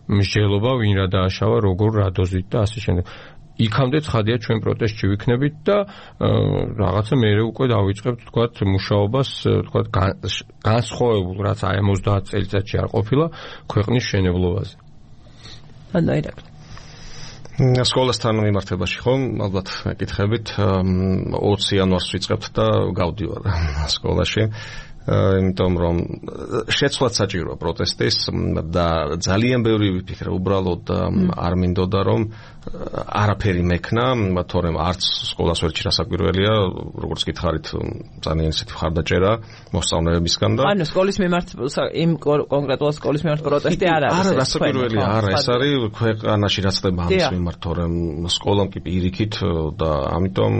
მსჯელობა ვინ რა დააშავა როგორ რა დოზით და ასე შემდეგ. იქამდე ცხადია ჩვენ პროტესტში ვიქნებით და რაღაცა მეერე უკვე დავიწყებთ თქვათ მუშაობას თქვათ განსხვავებულ რაც აი 30 წელიწადში არ ყოფილა ქვეყნის შენებლობაზე. ანუ ირაკლი სკოლასთან მიმართებაში ხომ ალბათ მეკითხებით 20 იანვარს ვიწყებთ და გავდივარ სკოლაში. იმიტომ რომ შეცვლაც საჭიროა პროტესტის და ძალიან ბევრი ვიფიქრე უბრალოდ არ მინდოდა რომ არაფერი მექნა თორემ არც სკოლას ვერ ჩირასაკვირველია როგორც გითხარით ძალიან ისეთი ხარდაჭერა მოსწავლეებისგან და ანუ სკოლის მიმართ იმ კონკრეტულად სკოლის მიმართ პროტესტი არ არის არა რასაკვირველია არა ეს არის ქვეყანაში რაც ხდება ამის მიმართ თორემ სკოლამ კი პირიქით და ამიტომ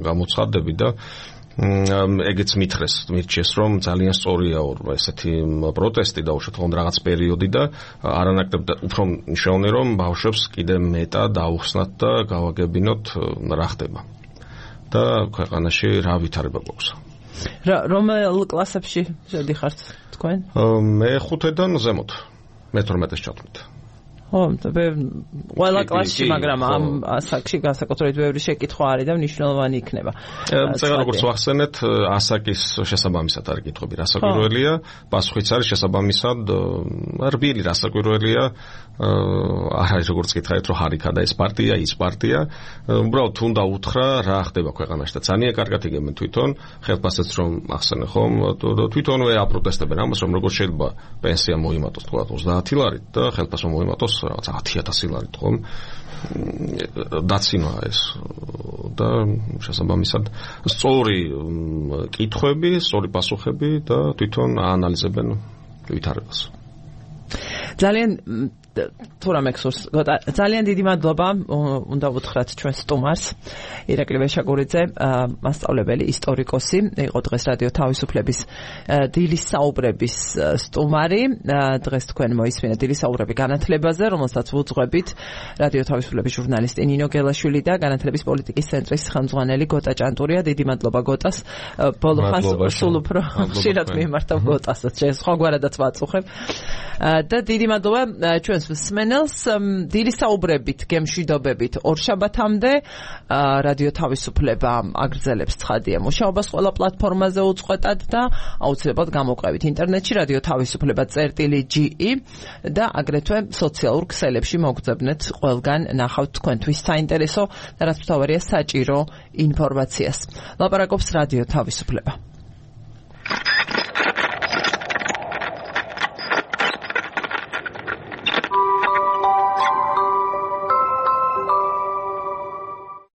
გამოცხადდები და ეგეც მირჩეს რომ ძალიან სწორია ესეთი პროტესტი და უშუალოდ რაღაც პერიოდი და არანაკლებ უფრო მნიშვნელოვანი რომ ბავშვებს კიდე მეტად აუხსნათ და გავაგებინოთ რა ხდება და ქვეყანაში რა ვითარება გვაქვს. რომელ კლასებში შედიხართ თქვენ? მე 5-დან ზემოთ. მე 12-ს ჩავთვლით. ხო, ყველა კლასში, მაგრამ ამ ასაკში განსაკუთრებით ბევრი შეკითხვა არის და მნიშვნელოვანი იქნება. წერა როგორც ვახსენეთ, ასაკის შესაბამისად არის კითხვები, რასაკვირველია, პასუხიც არის შესაბამისად, რბილი რასაკვირველია, არ არის როგორც გითხარით, რომ ჰარიქა და ეს პარტია, ის პარტია, უბრალოდ თუნდა უთხრა რა ხდება ქვეყანაში და ძალიან კარგად იგებენ თვითონ, ხელფასეც რომ ახსენე ხომ, თვითონვე აპროტესტებენ ამას, რომ როგორ შეიძლება პენსია მოიმატოს თქვა 30 ლარით და ხელფასო მოიმატოს რაღაც 10,000 ლარით ხომ დაცინვა ეს და შესაბამისად სწორი კითხვები, სწორი პასუხები და თვითონ აანალიზებენ ვითარებას. ძალიან თუ რამე გსურს ძალიან დიდი მადლობა უნდა ვუთხრათ ჩვენ სტუმარს ირაკლი ვეშაგურიძე მასწავლებელი ისტორიკოსი იყო დღეს რადიო თავისუფლების დილის საუბრების სტუმარი დღეს თქვენ მოისმინეთ დილის საუბრები განათლებაზე რომელსაც ვუძღვებით რადიო თავისუფლების ჟურნალისტი ნინო გელაშვილი და განათლების პოლიტიკის ცენტრის ხელმძღვანელი გოტა ჭანტურია დიდი მადლობა გოტას ბოლო ხანს სულ უფრო ხშირად მიმართავ გოტასაც სხვაგვარადაც ვაწუხებ და დიდი მადლობა ჩვენს მსმენელს დილის საუბრებით გემშვიდობებით ორშაბათამდე რადიო თავისუფლება აგრძელებს ცხადია მუშაობას ყველა პლატფორმაზე უწყვეტად და აუცილებლად გამოყვებით ინტერნეტში რადიო თავისუფლება.ge და აგრეთვე სოციალურ ქსელებში მოგძებნეთ ყველგან ნახავთ თქვენთვის საინტერესო და რაც მთავარია საჭირო ინფორმაციას. ლაპარაკობს რადიო თავისუფლება.